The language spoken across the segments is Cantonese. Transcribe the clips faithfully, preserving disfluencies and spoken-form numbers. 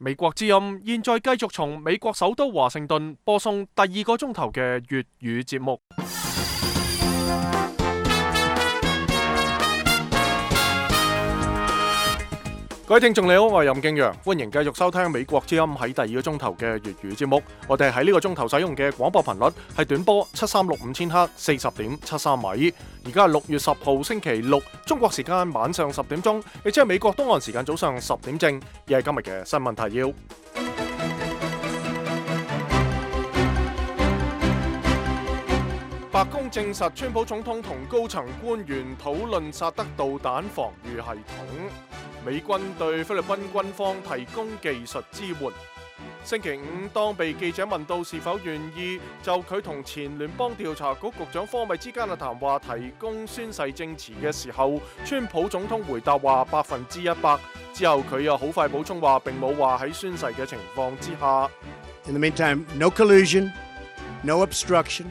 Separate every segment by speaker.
Speaker 1: 美國之音現在繼續從美國首都華盛頓播送第二個鐘頭嘅粵語節目。各位聽眾你好，我係任敬陽，歡迎繼續收聽美國之音喺第二個鐘頭嘅粵語節目。我哋喺呢個鐘頭使用嘅廣播頻率係短波七三六五千赫，四十點七三米。而家係六月十號星期六，中國時間晚上十點鐘，亦即係美國東岸時間早上十點正。亦係今日嘅新聞提要。白宮證實，川普總統同高層官員討論薩德導彈防禦系統。美軍對菲律賓軍方提供技術支援。星期五，當被記者問到是否願意就佢同前聯邦調查局局長科米之間嘅談話提供宣誓證詞嘅時候，川普總統回答話百分之一百。之後佢又好快補充話並冇話喺宣誓嘅情況之下。
Speaker 2: In the meantime, no collusion, no obstruction.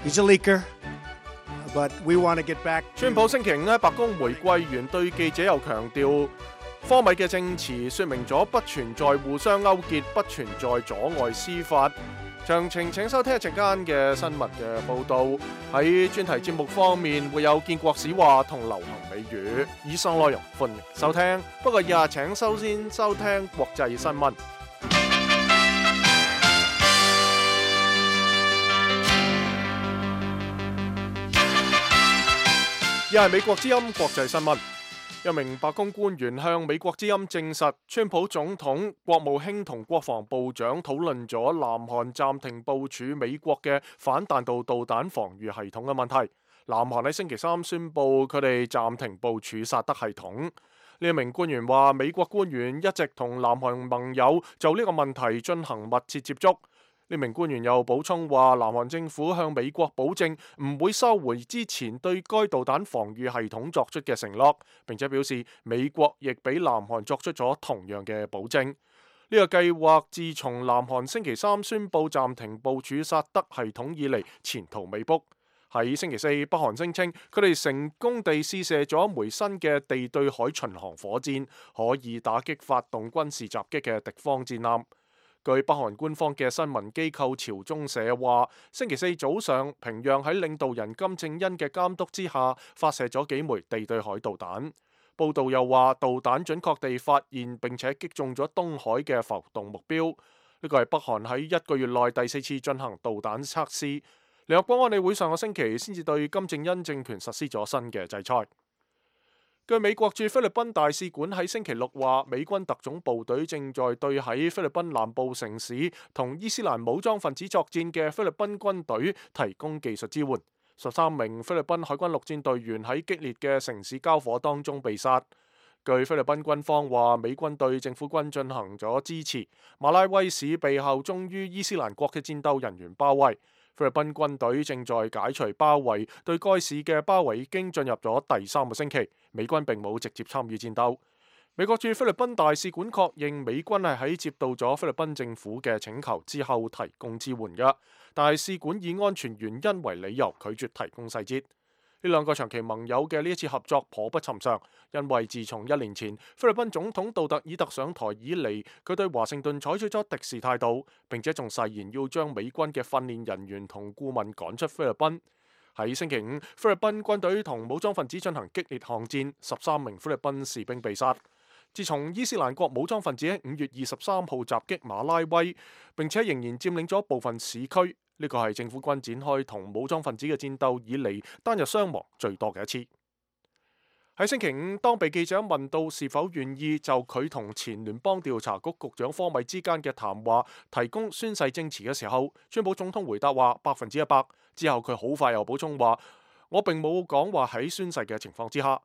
Speaker 2: He's a leaker.But we want to get back.
Speaker 1: 川普星期五喺白宮回歸完，對記者又強調，科米嘅證詞說明咗不存在互相勾結，不存在阻礙司法。詳情請收聽一陣間嘅新聞嘅報導。喺專題節目方面會有建國史話同流行美語，以上內容歡迎收聽。不過以下請首先收聽國際新聞。又係美國之音國際新聞。一名白宮官員向美國之音證實，川普總統、國務卿同國防部長討論咗南韓暫停部署美國嘅反彈道導彈防禦系統嘅問題。南韓喺星期三宣布佢哋暫停部署薩德系統。呢一名官員話，美國官員一直同南韓盟友就呢個問題進行密切接觸。呢名官員又補充話，南韓政府向美國保證唔會收回之前對該導彈防禦系統作出嘅承諾，並且表示美國亦俾南韓作出咗同樣嘅保證。呢個計劃自從南韓星期三宣布暫停部署薩德系統以嚟，前途未卜。喺星期四，北韓聲稱佢哋成功地試射咗一枚新嘅地對海巡航火箭，可以打擊發動軍事襲擊嘅敵方戰艦。據北韓官方嘅新聞機構朝中社話，星期四早上，平壤喺領導人金正恩嘅監督之下，發射咗幾枚地對海導彈。報道又話，導彈準確地發現並且擊中咗東海嘅浮動目標。呢個係北韓喺一個月內第四次進行導彈測試。聯合國安理會上個星期先至對金正恩政權實施咗新嘅制裁。據美國駐菲律賓大使館喺星期六話，美軍特種部隊正在對喺菲律賓南部城市同伊斯蘭武裝分子作戰嘅菲律賓軍隊提供技術支援。十三名菲律賓海軍陸戰隊員喺激烈嘅城市交火當中被殺。據菲律賓軍方話，美軍對政府軍進行咗支持。馬拉威市被效忠於伊斯蘭國嘅戰鬥人員包圍。菲律賓軍隊正在解除包圍，對該市嘅包圍已經進入咗第三個星期。美軍並冇直接參與戰鬥。美國駐菲律賓大使館確認，美軍係喺接到咗菲律賓政府嘅請求之後提供支援嘅，但係使館以安全原因為理由拒絕提供細節。呢兩個長期盟友嘅呢一次合作頗不尋常，因為自從一年前菲律賓總統杜特爾特上台以嚟，佢對華盛頓採取咗敵視態度，並且仲誓言要將美軍嘅訓練人員同顧問趕出菲律賓。喺星期五，菲律賓軍隊同武裝分子進行激烈巷戰，十三名菲律賓士兵被殺。自從伊斯蘭國武裝分子喺五月二十三號襲擊馬拉威，並且仍然佔領咗部分市區。呢個係政府軍展開同武裝分子嘅戰鬥以嚟單日傷亡最多嘅一次。喺星期五，當被記者問到是否願意就佢同前聯邦調查局局長科米之間嘅談話提供宣誓證詞嘅時候，川普總統回答話百分之一百。之後佢好快又補充話，我並冇講話喺宣誓嘅情況之下。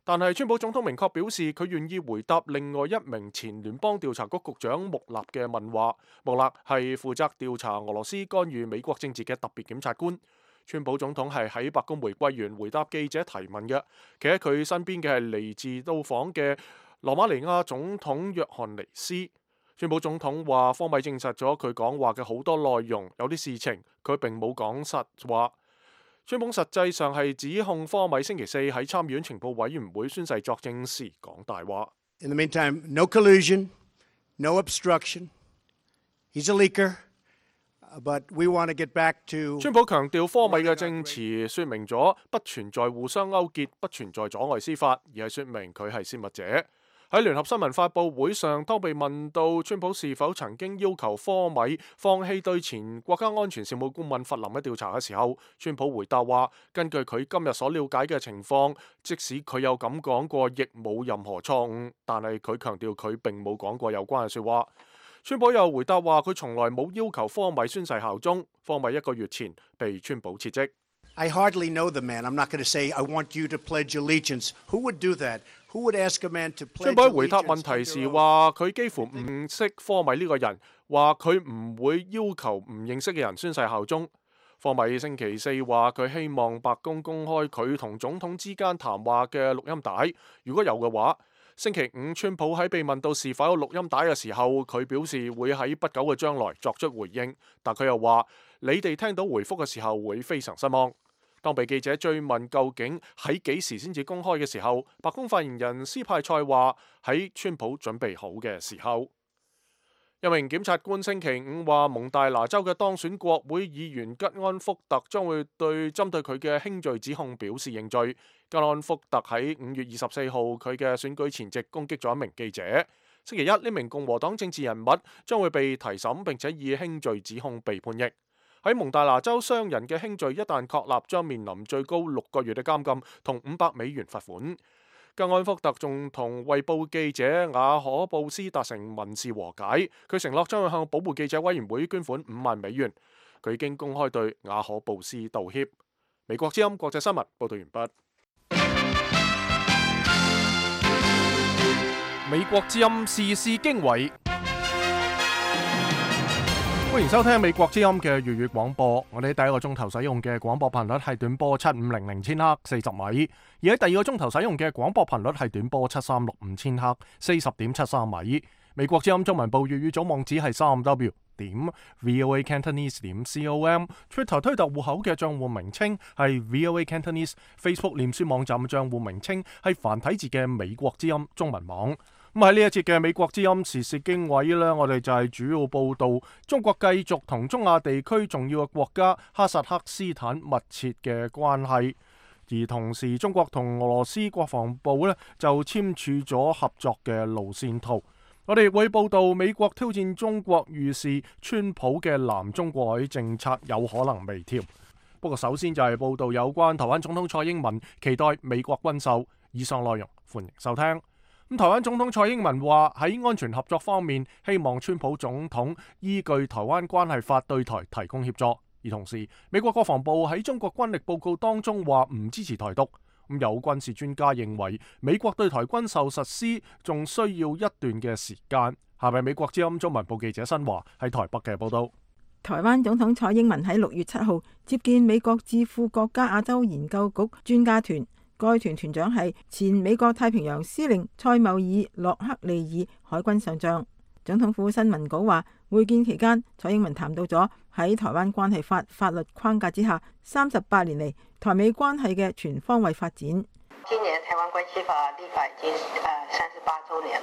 Speaker 1: 但係川普總統明確表示，佢願意回答另外一名前聯邦調查局局長穆納嘅問話。穆納係負責調查俄羅斯干預美國政治嘅特別檢察官。川普總統係喺白宮回歸完回答記者提問嘅，企喺佢身邊嘅係嚟自到訪嘅羅馬尼亞總統約翰尼斯。川普總統話，科米證實咗佢講話嘅好多內容，有啲事情佢並冇講實話。川普實際上係指控科米星期四喺參議院情報委員會宣誓作證時講大話。
Speaker 2: In the meantime, no collusion, no obstruction. He's a leaker, but we want to get back to.
Speaker 1: 川普強調科米嘅證詞說明咗不存在互相勾結，不存在阻礙司法，而係說明佢係泄密者。喺聯合新聞發佈會上，當被問到川普是否曾經要求科米放棄對前國家安全事務顧問弗林嘅調查嘅時候，川普回答話：根據佢今日所了解嘅情況，即使佢有咁講過，亦冇任何錯誤。但係佢強調佢並冇講過有關嘅説話。川普又回答話：佢從來冇要求科米宣誓效忠。科米一個月前被川普撤職。
Speaker 2: I hardly know the man. I'm not going to say I want you to pledge allegiance. Who would do that? Who would ask a man to pledge allegiance? 川普回答問題時話：佢幾乎唔識科米呢個人，話佢唔會要求唔認識嘅人宣誓效忠。科米星期四話佢希望白宮公開佢同總統之間談話嘅錄音帶，如果有嘅話。星期五，川普喺被問到是否有錄音帶嘅時候，佢表示會喺不久嘅將來作出回應，但佢又話：你哋聽到回覆嘅時候會非常失望。當被記者追問究竟喺幾時先至公開嘅時候，白宮發言人斯派塞話：喺川普準備好嘅時候。一名檢察官星期五話，蒙大拿州嘅當選國會議員吉安福特將會對針對佢嘅輕罪指控表示認罪。吉安福特喺五月二十四號佢嘅選舉前夕攻擊咗一名記者。星期一，呢名共和黨政治人物將會被提審，並且以輕罪指控被判刑。喺蒙大拿州，商人嘅輕罪一旦確立，將面臨最高六個月嘅監禁同五百美元罰款。吉安福特仲同衛報記者雅可布斯達成民事和解，佢承諾將會向保護記者委員會捐款五萬美元。佢已經公開對雅可布斯道歉。美國之音國際新聞報道完畢。美國之音時事經緯。歡迎收聽美國之音嘅粵語廣播。我哋第一個鐘頭使用嘅廣播頻率係短波七五零零千赫四十米，而喺第二個鐘頭使用嘅廣播頻率係短波七三六五千赫四十點七三米。美國之音中文部粵語總網址係三 w 點 voa cantonese 點 com，Twitter 推特戶口嘅賬戶名稱係 voa cantonese，Facebook 臉書網站嘅賬戶名稱係繁體字嘅美國之音中文網。咁喺呢一節嘅美國之音時事經緯呢，我哋就係主要報道中國繼續同中亞地區重要嘅國家哈薩克斯坦密切嘅關係，而同時中國同俄羅斯國防部呢就簽署咗合作嘅路線圖。我哋會報道美國挑戰中國預示川普嘅南中國海政策有可能微調。不過首先就係報道有關台灣總統蔡英文期待美國軍售。以上內容歡迎收聽。咁台灣總統蔡英文話喺安全合作方面，希望川普總統依據《台灣關係法》對台提供協助。而同時，美國國防部喺中國軍力報告當中話唔支持台獨。咁有軍事專家認為，美國對台軍售實施仲需要一段嘅時間。下面美國之音中文部記者新華喺台北嘅報道。
Speaker 3: 台灣總統蔡英文喺六月七號接見美國智庫國家亞洲研究局專家團。該團團長係前美國太平洋司令塞繆爾洛克利爾海軍上將。總統府新聞稿話，會見期間，蔡英文談到咗喺台灣關係法法律框架之下，三十八年嚟台美關係嘅全方位發展。
Speaker 4: 今年台灣關係法立法已經誒三十八週年，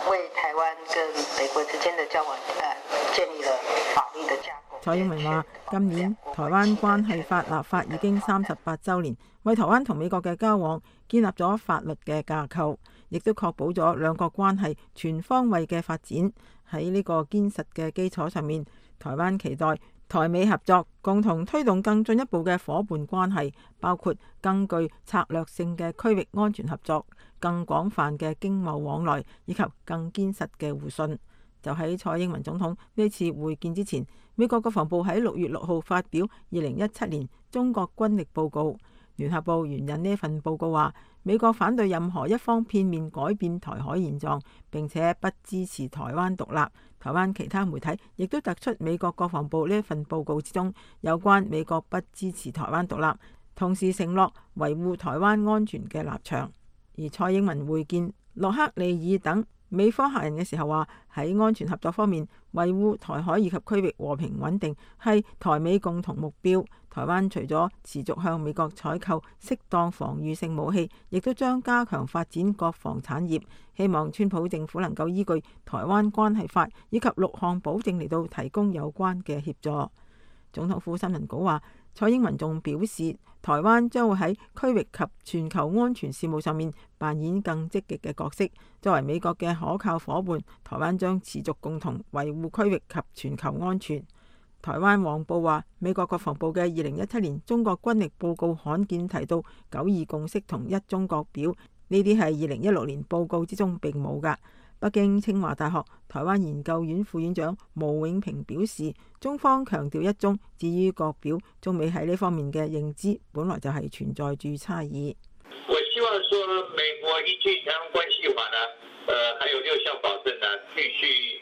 Speaker 4: 誒為台灣跟美國之間的交往誒建立了法律的架構。
Speaker 3: 蔡英文話：今年台灣關係法立法已經三十八週年，為台灣同美國嘅交往建立咗法律嘅架構，亦都確保咗兩國關係全方位嘅發展。喺呢個堅實嘅基礎上面，台灣期待台美合作，共同推動更進一步嘅夥伴關係，包括更具策略性嘅區域安全合作、更廣泛嘅經貿往來，以及更堅實嘅互信。就喺蔡英文總統呢次會見之前，美國國防部喺六月六號發表二零一七年中國軍力報告。聯合報援引呢份報告話，美國反對任何一方片面改變台海現狀，並且不支持台灣獨立。台灣其他媒體亦都突出美國國防部呢份報告之中有關美國不支持台灣獨立，同時承諾維護台灣安全嘅立場。而蔡英文會見洛克利爾等美方客人嘅時候話，喺安全合作方面，維護台海以及區域和平穩定係台美共同目標。台灣除咗持續向美國採購適當防禦性武器，亦都將加強發展國防產業。希望川普政府能夠依據《台灣關係法》以及六項保證嚟到提供有關嘅協助。總統府新聞稿話，蔡英文仲表示，台灣將會喺區域及全球安全事務上面扮演更積極嘅角色。作為美國嘅可靠夥伴，台灣將持續共同維護區域及全球安全。台灣黃報話，美國國防部嘅二零一七年中國軍力報告罕見提到九二共識同一中國表，呢啲係二零一六年報告之中並冇㗎。北京清華大學台灣研究院副院長毛永平表示，中方強調一中，至於國表，中美喺呢方面嘅認知本來就係存在住差異。
Speaker 5: 我希望說美國依據台灣關係法呢，呃，還有六項保證呢，繼續。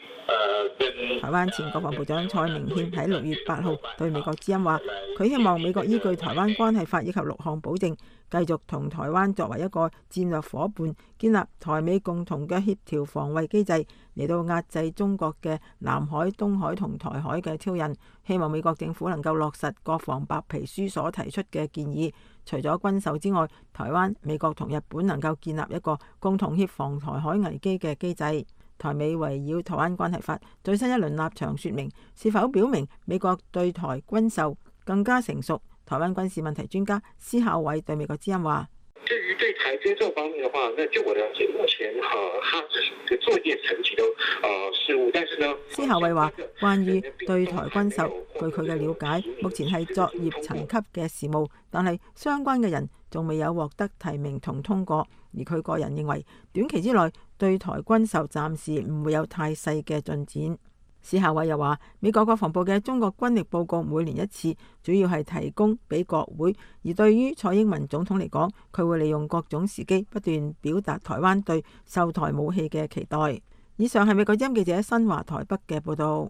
Speaker 3: 台灣前國防部長蔡明憲喺六月八號對美國之音話，佢希望美國依據台灣關係法以及六項保證，繼續同台灣作為一個戰略夥伴，建立台美共同嘅協調防衛機制，嚟到壓制中國嘅南海、東海同台海嘅挑釁。希望美國政府能夠落實國防白皮書所提出嘅建議，除咗軍售之外，台灣、美國同日本能夠建立一個共同協防台海危機嘅機制。台美圍繞台灣關係法最新一輪立場說明，是否表明美國對台軍售更加成熟？台灣軍事問題專家施孝偉對美國之音話：
Speaker 6: 至於對台軍售方面嘅話，那據我了解，目前哈，他只係作業層級都啊事務，但是呢，
Speaker 3: 施孝偉話，關於對台軍售，據佢嘅了解，目前係作業層級嘅事務，但係相關嘅人仲未有獲得提名同通過。而佢個人認為，短期之內對台軍售暫時唔會有太細嘅進展。施孝偉又話，美國國防部嘅中國軍力報告每年一次，主要係提供俾國會。而對於蔡英文總統嚟講，佢會利用各種時機不斷表達台灣對售台武器嘅期待。以上係美國之音記者新華台北嘅報道。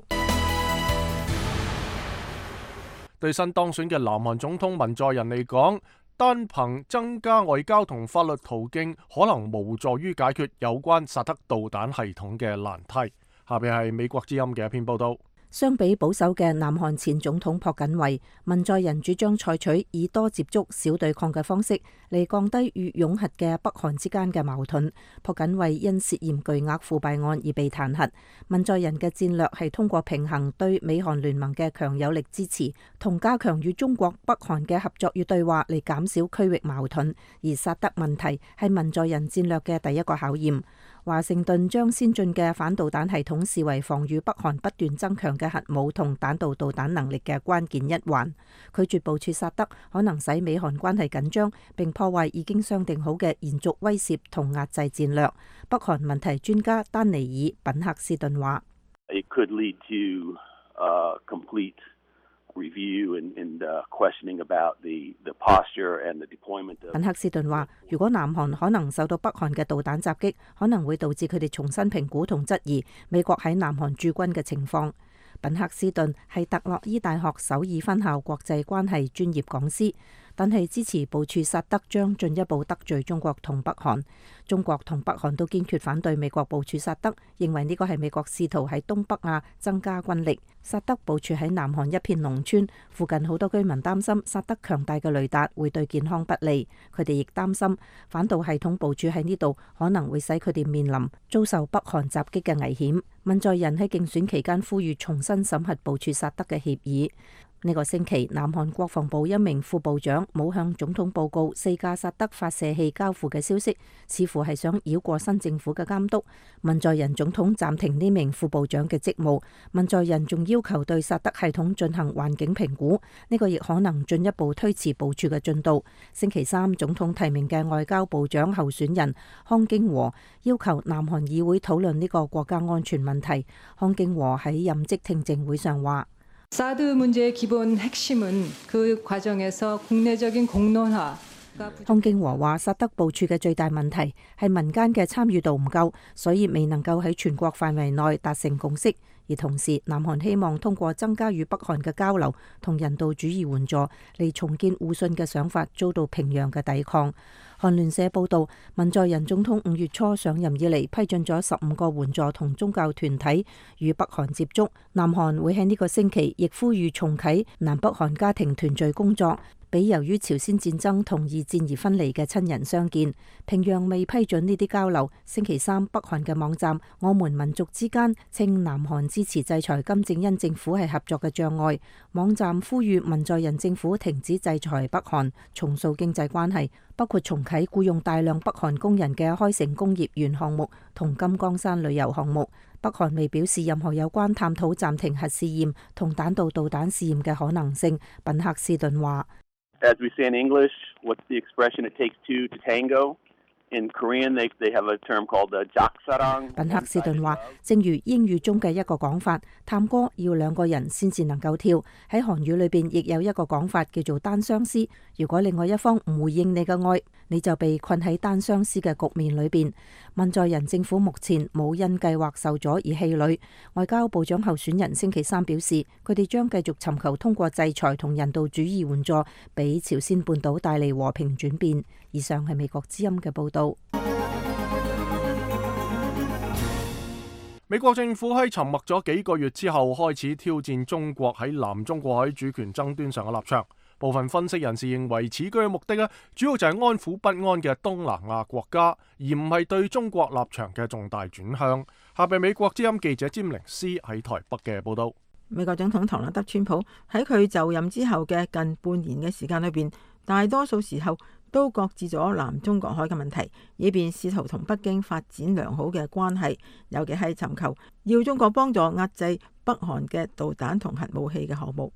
Speaker 1: 對新當選嘅南韓總統文在寅嚟講，單憑增加外交同法律途徑，可能無助於解決有關薩德導彈系統嘅難題。下邊係美國之音嘅一篇報道。
Speaker 7: 相比保守嘅南韓前總統朴槿惠，文在寅主張採取以多接觸、少對抗嘅方式嚟降低與擁核嘅北韓之間嘅矛盾。朴槿惠因涉嫌巨額腐敗案而被彈劾。文在寅嘅戰略係通過平衡對美韓聯盟嘅強有力支持，同加強與中國、北韓嘅合作與對話嚟減少區域矛盾。而薩德問題係文在寅戰略嘅第一個考驗。華盛頓將先進嘅反導彈系統視為防禦北韓不斷增強嘅核武同彈道導彈能力嘅關鍵一環，拒絕部署薩德可能使美韓關係緊張，並破壞已經商定好嘅延續威懾同壓制戰略。北韓問題專家丹尼爾·品克斯頓話：It
Speaker 8: could lead to, uh, complete review and, and, uh, questioning about the, the posture and the deployment of...
Speaker 7: 品克斯頓話，如果南韓可能受到北韓嘅導彈襲擊，可能會導致佢哋重新評估同質疑美國喺南韓駐軍嘅情況。品克斯頓係特洛伊大學首爾分校國際關係專業講師，但係支持部署薩德將進一步得罪中國同北韓。中國同北韓都堅決反對美國部署薩德，認為呢個係美國試圖喺東北亞增加軍力。薩德部署喺南韓一片農村，附近好多居民擔心薩德強大嘅雷達會對健康不利。佢哋亦擔心反導系統部署喺呢度可能會使佢哋面臨遭受北韓襲擊嘅危險。文在寅喺競選期間呼籲重新審核部署薩德嘅協議。呢個星期，南韓國防部一名副部長冇向總統報告四架薩德發射器交付嘅消息，似乎係想繞過新政府嘅監督。文在寅總統暫停呢名副部長嘅職務。文在寅仲要求對薩德系統進行環境評估，呢個亦可能進一步推遲部署嘅進度。星期三，總統提名嘅外交部長候選人康京和要求南韓議會討論呢個國家安全問題。康京和喺任職聽證會上話：
Speaker 9: 사드 문제의 기본 핵심은 그 과정에서 국내적인 공론화。
Speaker 7: 康京和話，薩德部署嘅最大問題係民間嘅參與度唔夠，所以未能夠喺全國範圍內達成共識。而同時南韓希望通過增加與北韓嘅交流同人道主義援助嚟重建互信嘅想法遭到平壤嘅抵抗。韓聯社報道，文在寅總統五月初上任以嚟批准咗十五個援助同宗教團體與北韓接觸，南韓會喺呢個星期亦呼籲重啟南北韓家庭團聚工作，俾由於朝鮮戰爭同二戰而分離嘅親人相見。平壤未批准呢啲交流。星期三，北韓嘅網站我們民族之間稱南韓支持制裁金正恩政府係合作嘅障礙。網站呼籲文在寅政府停止制裁北韓，重塑經濟關係，包括重啟僱用大量北韓工人嘅開城工業園項目同金剛山旅遊項目。北韓未表示任何有關探討暫停核試驗同彈道導彈試驗嘅可能性。品克斯頓話
Speaker 8: As we say in English, what's the expression it takes two to tango? In Korean, they they have a term called the jaksa랑。
Speaker 7: 品克斯頓話，正如英語中嘅一個講法，探戈要兩個人先至能夠跳。喺韓語裏邊亦有一個講法叫做單相思。如果另外一方唔回應你嘅愛，你就被困喺單相思嘅局面裏邊。文在寅政府目前冇因計劃受阻而氣餒。外交部長候選人星期三表示，佢哋將繼續尋求通過制裁同人道主義援助，俾朝鮮半島帶嚟和平轉變。以上係美國之音嘅報道。
Speaker 1: 美國政府喺沉默咗幾個月之後，開始挑戰中國喺南中國海主權爭端上嘅立場。部分分析人士認為，此舉嘅目的咧，主要就係安撫不安嘅東南亞國家，而唔係對中國立場嘅重大轉向。下邊美國之音記者詹寧斯喺台北嘅報道。
Speaker 3: 美國總統唐納德川普喺佢就任之後嘅近半年嘅時間裏邊，大多數時候都擱置咗南中國海嘅問題，以便試圖同北京發展良好嘅關係，尤其係尋求要中國幫助壓制北韓嘅導彈同核武器嘅項目。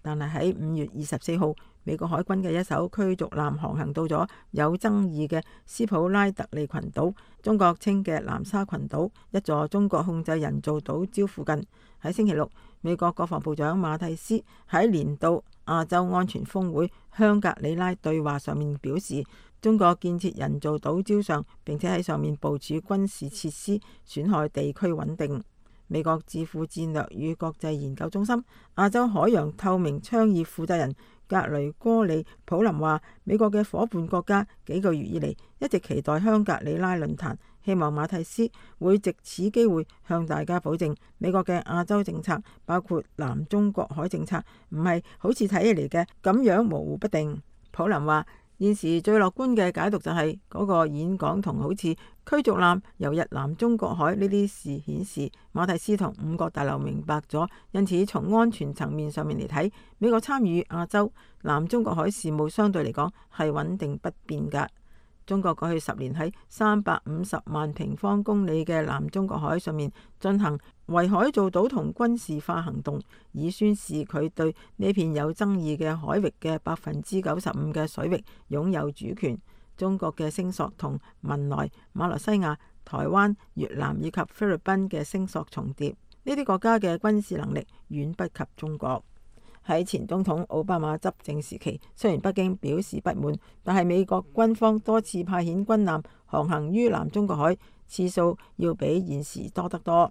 Speaker 3: 但係喺五月二十四號，美國海軍嘅一艘驅逐艦航行到咗有爭議嘅斯普拉特利群島，中國稱嘅南沙群島，一座中國控制人造島礁附近。喺星期六，美國國防部長馬蒂斯喺年度亞洲安全峰會香格里拉對話上面表示，中國建設人造島礁上，並且喺上面部署軍事設施，損害地區穩定。美國智庫戰略與國際研究中心亞洲海洋透明倡議負責人格雷戈里普林話，美國嘅夥伴國家幾個月以嚟一直期待香格里拉論壇，希望馬蒂斯會藉此機會向大家保證，美國嘅亞洲政策，包括南中國海政策，唔係好似睇起嚟嘅咁樣模糊不定。普林話，現時最樂觀嘅解讀就係嗰個演講同好似驅逐艦游入南中國海呢啲事顯示，馬蒂斯同五角大樓明白咗，因此從安全層面上面嚟睇，美國參與亞洲南中國海事務相對嚟講係穩定不變㗎。中國過去十年喺三百五十萬平方公里嘅南中國海上面進行圍海造島同軍事化行動，以宣示佢對呢片有爭議嘅海域嘅百分之九十五嘅水域擁有主權。中國嘅聲索同文萊、馬來西亞、台灣、越南以及菲律賓嘅聲索重疊，呢啲國家嘅軍事能力遠不及中國。喺前總統奧巴馬執政時期，雖然北京表示不滿，但係美國軍方多次派遣軍艦航行於南中國海，次數要比現時多得多。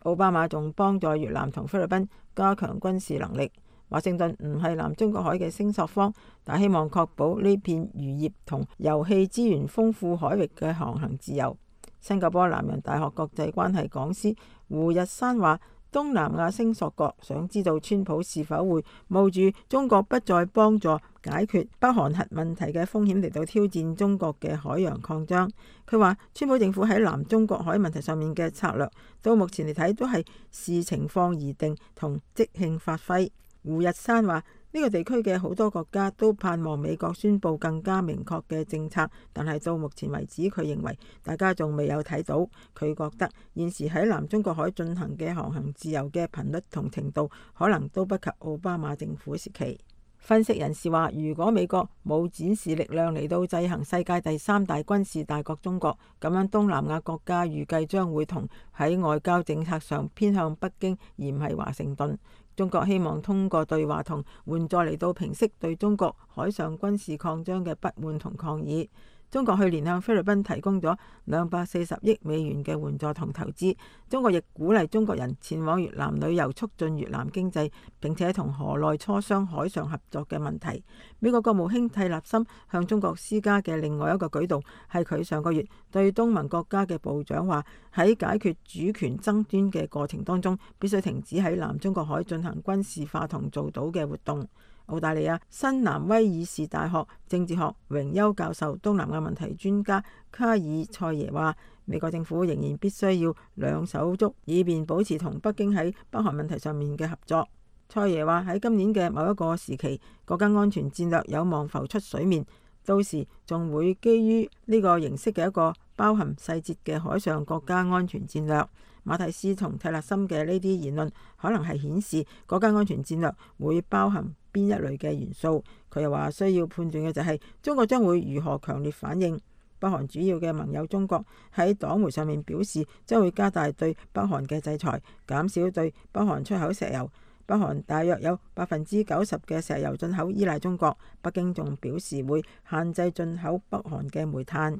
Speaker 3: 奧巴馬仲幫助越南同菲律賓加強軍事能力。華盛頓唔係南中國海嘅聲索方，但希望確保呢片漁業同油氣資源豐富海域嘅航行自由。新加坡南洋大學國際關係講師胡日山話，東南亞聲索國想知道川普是否會冒住中國不再幫助解決北韓核問題嘅風險嚟到挑戰中國嘅海洋擴張。佢話川普政府喺南中國海問題上面嘅策略，到目前嚟睇都係視情況而定同即興發揮。胡日山話，呢個地區嘅好多國家都盼望美國宣布更加明確嘅政策，但係到目前為止，佢認為大家仲未有睇到。佢覺得現時喺南中國海進行嘅航行自由嘅頻率同程度，可能都不及奧巴馬政府時期。分析人士話，如果美國冇展示力量嚟到制衡世界第三大軍事大國中國，咁樣東南亞國家預計將會同喺外交政策上偏向北京，而唔係華盛頓。中國希望通過對話同援助嚟到平息對中國海上軍事擴張嘅不滿同抗議。中國去年向菲律賓提供咗兩百四十億美元嘅援助同投資。中國亦鼓勵中國人前往越南旅遊，促進越南經濟，並且同河內磋商海上合作嘅問題。美國國務卿蒂勒森向中國施加嘅另外一個舉動，係佢上個月對東盟國家嘅部長話，喺解決主權爭端嘅過程當中，必須停止喺南中國海進行軍事化同造島嘅活動。澳大利亞新南威爾士大學政治學榮休教授、東南亞問題專家卡爾塞耶話，美國政府仍然必須要兩手捉，以便保持同北京喺北韓問題上面嘅合作。塞耶話喺今年嘅某一個時期，國家安全戰略有望浮出水面，到時仲會基於呢個形式嘅一個包含細節嘅海上國家安全戰略。馬蒂斯同蒂勒森嘅呢啲言論可能係顯示國家安全戰略會包含邊一類嘅元素。佢又話需要判斷嘅就係中國將會如何強烈反應。北韓主要嘅盟友中國喺黨媒上面表示將會加大對北韓嘅制裁，減少對北韓出口石油。北韓大約有百分之九十嘅石油進口依賴中國。北京仲表示會限制進口北韓嘅煤炭。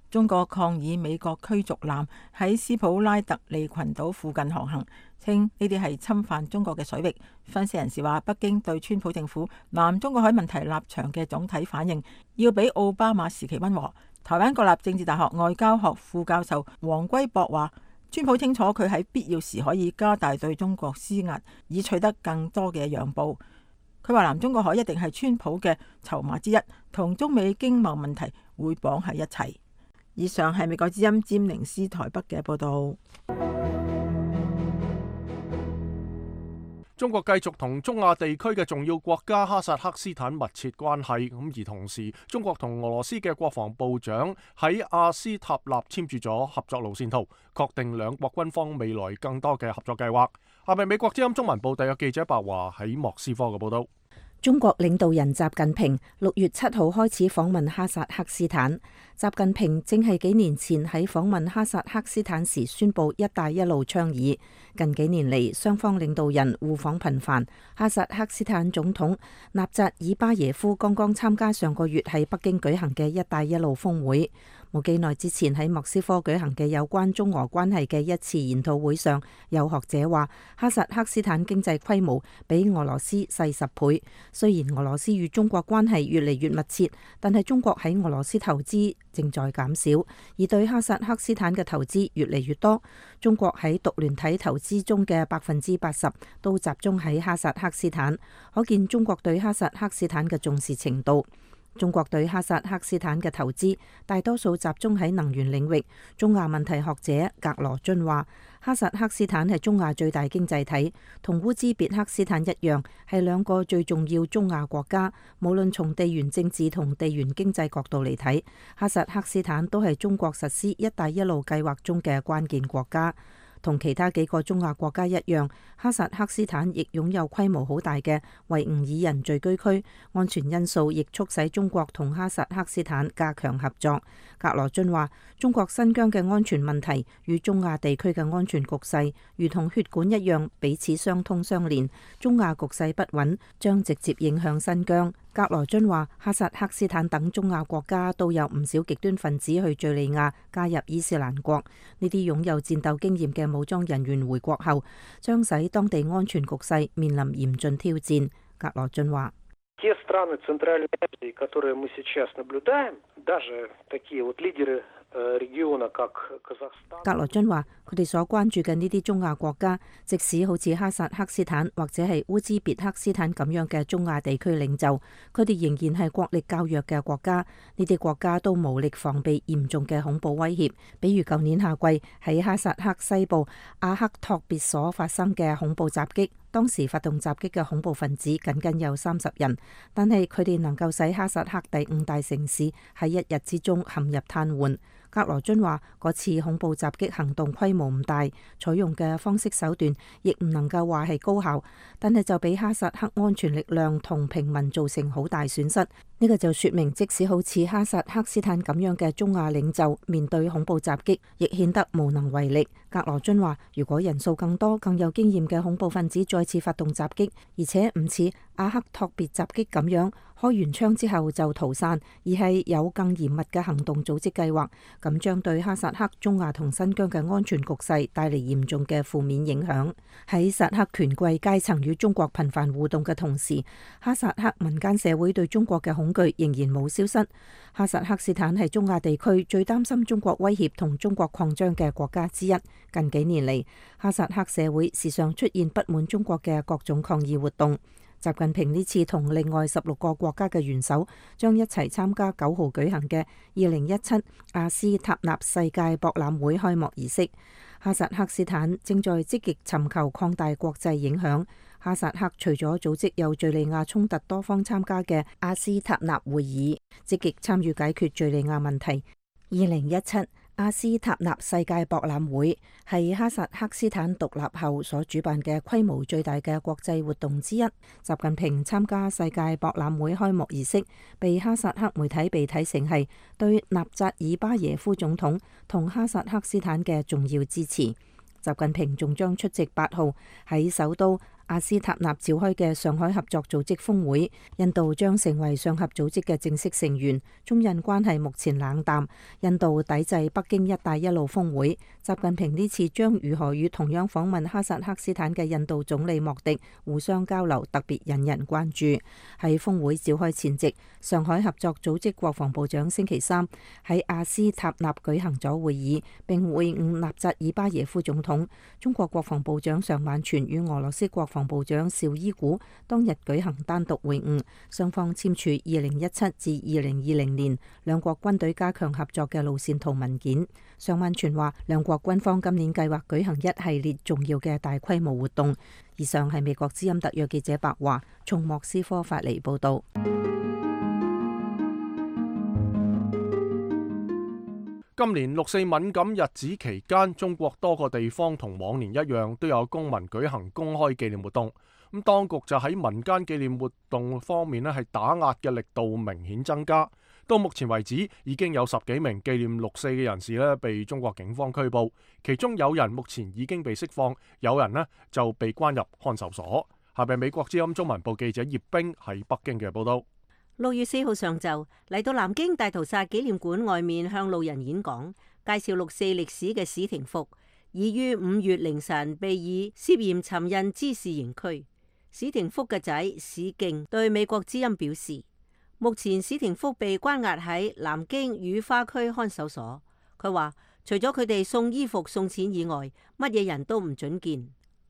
Speaker 3: 中國抗議美國驅逐艦喺斯普拉特利群島附近航行，稱呢啲係侵犯中國嘅水域。分析人士話，北京對川普政府南中國海問題立場嘅總體反應要比奧巴馬時期溫和。台灣國立政治大學外交學副教授黃歸博話，川普清楚佢喺必要時可以加大對中國施壓，以取得更多嘅讓步。佢話南中國海一定係川普嘅籌碼之一，同中美經貿問題會綁喺一齊。以上係美國之音詹寧斯台北嘅報道。
Speaker 1: 中國繼續同中亞地區嘅重要國家哈薩克斯坦密切關係，咁而同時，中國同俄羅斯嘅國防部長喺阿斯塔納簽署咗合作路線圖，確定兩國軍方未來更多嘅合作計劃。下面美國之音中文部特約記者白華喺莫斯科嘅報道。
Speaker 7: 中國領導人習近平六月七號開始訪問哈薩克斯坦。習近平正係幾年前喺訪問哈薩克斯坦時宣布「一帶一路」倡議。近幾年嚟，雙方領導人互訪頻繁。哈薩克斯坦總統納扎爾巴耶夫剛剛參加上個月喺北京舉行嘅「一帶一路」峰會。冇幾耐之前喺莫斯科舉行嘅有關中俄關係嘅一次研討會上，有學者話哈薩克斯坦經濟規模比俄羅斯細十倍。雖然俄羅斯與中國關係越嚟越密切，但係中國喺俄羅斯投資正在減少，而對哈薩克斯坦嘅投資越嚟越多。中國喺獨聯體投資中嘅百分之八十都集中喺哈薩克斯坦，可見中國對哈薩克斯坦嘅重視程度。中國對哈薩克斯坦嘅投資大多數集中喺能源領域。中亞問題學者格羅津話，哈薩克斯坦係中亞最大經濟體，同烏茲別克斯坦一樣，係兩個最重要中亞國家。無論從地緣政治同地緣經濟角度嚟睇，哈薩克斯坦都係中國實施一帶一路計劃中嘅關鍵國家。同其他幾個中亞國家一樣，哈薩克斯坦亦擁有規模好大嘅維吾爾人聚居區，安全因素亦促使中國同哈薩克斯坦加強合作。格羅津話，中國新疆嘅安全問題與中亞地區嘅安全局勢如同血管一樣，彼此相通相連。中亞局勢不穩，將直接影響新疆。格羅津話，哈薩克斯坦等中亞國家都有唔少極端分子去敘利亞加入伊斯蘭國，呢啲擁有戰鬥經驗嘅武裝人員回國後，將使當地安全局勢面臨嚴峻挑戰。格羅津話，格羅津話，佢哋所關注嘅呢啲中亞國家，即使好似哈薩克斯坦或者係烏茲別克斯坦咁樣嘅中亞地區領袖，佢哋仍然係國力較弱嘅國家。呢啲國家都無力防備嚴重嘅恐怖威脅，比如舊年夏季喺哈薩克西部阿克托別所發生嘅恐怖襲擊。當時發動襲擊嘅恐怖分子僅僅有三十人，但係佢哋能夠使哈薩克第五大城市喺一日之中陷入癱瘓。格羅津話，嗰次恐怖襲擊行動規模唔大，採用嘅方式手段亦唔能夠話係高效，但係就俾哈薩克安全力量同平民造成好大損失。呢個就說明，即使好似哈薩克斯坦咁樣嘅中亞領袖面對恐怖襲擊，亦顯得無能為力。格羅津話，如果人數更多、更有經驗嘅恐怖分子再次發動襲擊，而且唔似阿克托別襲擊咁樣開完槍之後就逃散，而係有更嚴密嘅行動組織計劃，咁將對哈薩克、中亞同新疆嘅安全局勢帶嚟嚴重嘅負面影響。喺薩克權貴階層與中國頻繁互動嘅同時，哈薩克民間社會對中國嘅恐懼仍然冇消失。哈薩克斯坦係中亞地區最擔心中國威脅同中國擴張嘅國家之一。近幾年嚟，哈薩克社會時常出現不滿中國嘅各種抗議活動。習近平呢次同另外十六個國家嘅元首將一齊參加九號舉行嘅二零一七阿斯塔納世界博覽會開幕儀式。哈薩克斯坦正在積極尋求擴大國際影響。哈薩克除咗組織有敘利亞衝突多方參加嘅阿斯塔納會議，積極參與解決敘利亞問題。二零一七阿斯塔納世界博覽會係哈薩克斯坦獨立後所主辦嘅規模最大嘅國際活動之一。習近平參加世界博覽會開幕儀式，被哈薩克媒體被睇成係對納扎爾巴耶夫總統同哈薩克斯坦嘅重要支持。習近平仲將出席八號喺首都阿斯塔納召開嘅上海合作組織峰會，印度將成為上合組織嘅正式成員。中印關係目前冷淡，印度抵制北京一帶一路峰會。習近平呢次將如何與同樣訪問哈薩克斯坦嘅印度總理莫迪互相交流，特別引人關注。喺峰會召開前夕，上海合作組織國防部長星期三喺阿斯塔納舉行咗會議，並會晤納扎爾巴耶夫總統。中國國防部長尚晚全與俄羅斯國防部長邵伊古當日舉行單獨會晤，雙方簽署二零一七至二零二零年兩國軍隊加強合作嘅路線圖文件。尚晚全話，兩國軍方今年計劃舉行一系列重要嘅大規模活動。以上係美國之音特約記者白華從莫斯科發嚟報道。
Speaker 1: 今年六四敏感日子期間，中國多個地方同往年一樣都有公民舉行公開紀念活動。咁當局就喺民間紀念活動方面咧，係打壓嘅力度明顯增加。到目前為止，已經有十幾名紀念六四嘅人士咧被中國警方拘捕，其中有人目前已經被釋放，有人咧就被關入看守所。下邊美國之音中文部記者葉冰喺北京嘅報道。
Speaker 10: 六月四號上晝嚟到南京大屠殺紀念館外面向路人演講，介紹六四歷史嘅史廷福，已於五月凌晨被以涉嫌尋釁滋事刑拘。史廷福嘅仔史敬對美國之音表示，目前史廷福被關押喺南京雨花區看守所。佢話除咗佢哋送衣服送錢以外，乜嘢人都唔准見。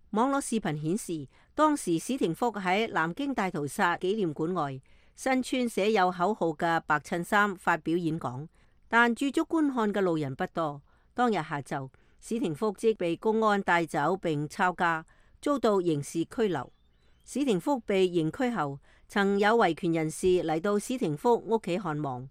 Speaker 10: 網絡視頻顯示，當時史廷福喺南京大屠殺紀念館外，身穿寫有口號嘅白襯衫發表演講，但駐足觀看嘅路人不多。當日下晝，史廷福即被公安帶走並抄家，遭到刑事拘留。史廷福被刑拘後，曾有維權人士嚟到史廷福屋企看望，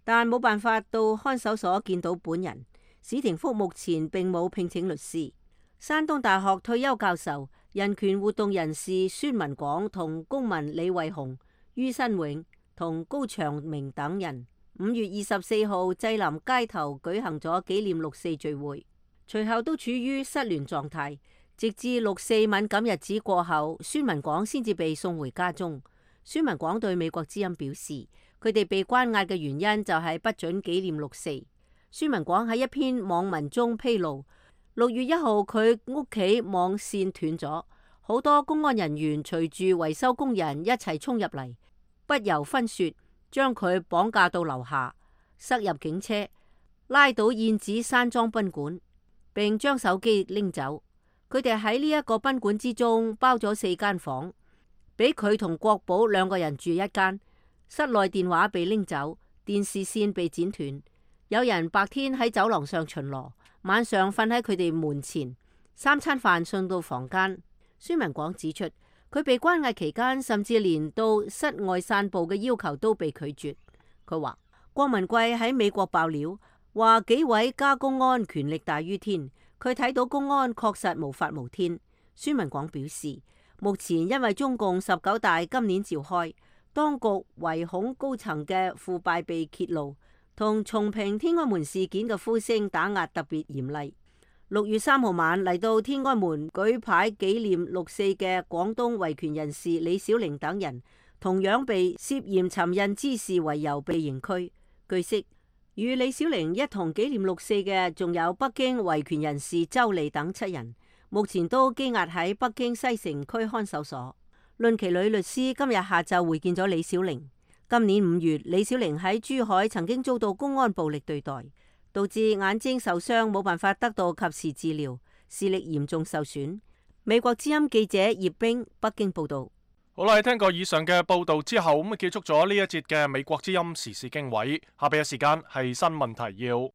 Speaker 10: 但冇辦法到看守所見到本人。史廷福目前並冇聘請律師。山東大學退休教授、人權活動人士孫文廣同公民李慧雄、于新永同高長明等人五月二十四號濟南街頭舉行咗紀念六四聚會，隨後都處於失聯狀態，直至六四敏感日子過後，孫文廣先至被送回家中。孫文廣對美國之音表示，佢哋被關押嘅原因就係不准紀念六四。孫文廣喺一篇網文中披露，六月一號佢屋企網線斷咗，好多公安人員隨住維修工人一齊衝入嚟，不由分說，將佢綁架到樓下，塞入警車，拉到燕子山莊賓館，並將手機拎走。佢哋喺呢一個賓館之中包咗四間房，俾佢同國寶兩個人住一間。室內電話被拎走，電視線被剪斷。有人白天喺走廊上巡邏，晚上瞓喺佢哋門前，三餐飯送到房間。孫文廣指出，佢被關押期間，甚至連到室外散步嘅要求都被拒絕。佢話郭文貴喺美國爆料，話幾位加公安權力大於天，佢睇到公安確實無法無天。孫文廣表示，目前因為中共十九大今年召開，當局唯恐高層嘅腐敗被揭露，同重平天安門事件嘅呼聲打壓特別嚴厲。六月三號晚嚟到天安門舉牌紀念六四嘅廣東維權人士李小玲等人，同樣被涉嫌尋釁滋事為由被刑拘。據悉，與李小玲一同紀念六四嘅仲有北京維權人士周莉等七人，目前都羈押喺北京西城區看守所。論其女律師今日下晝會見咗李小玲。今年五月，李小玲喺珠海曾經遭到公安暴力對待，導致眼睛受傷，冇辦法得到及時治療，視力嚴重受損。美國之音記者葉冰北京報道。
Speaker 1: 好啦，聽過以上嘅報道之後，咁啊結束咗呢一節嘅美國之音時事經緯。下邊嘅時間係新聞提要。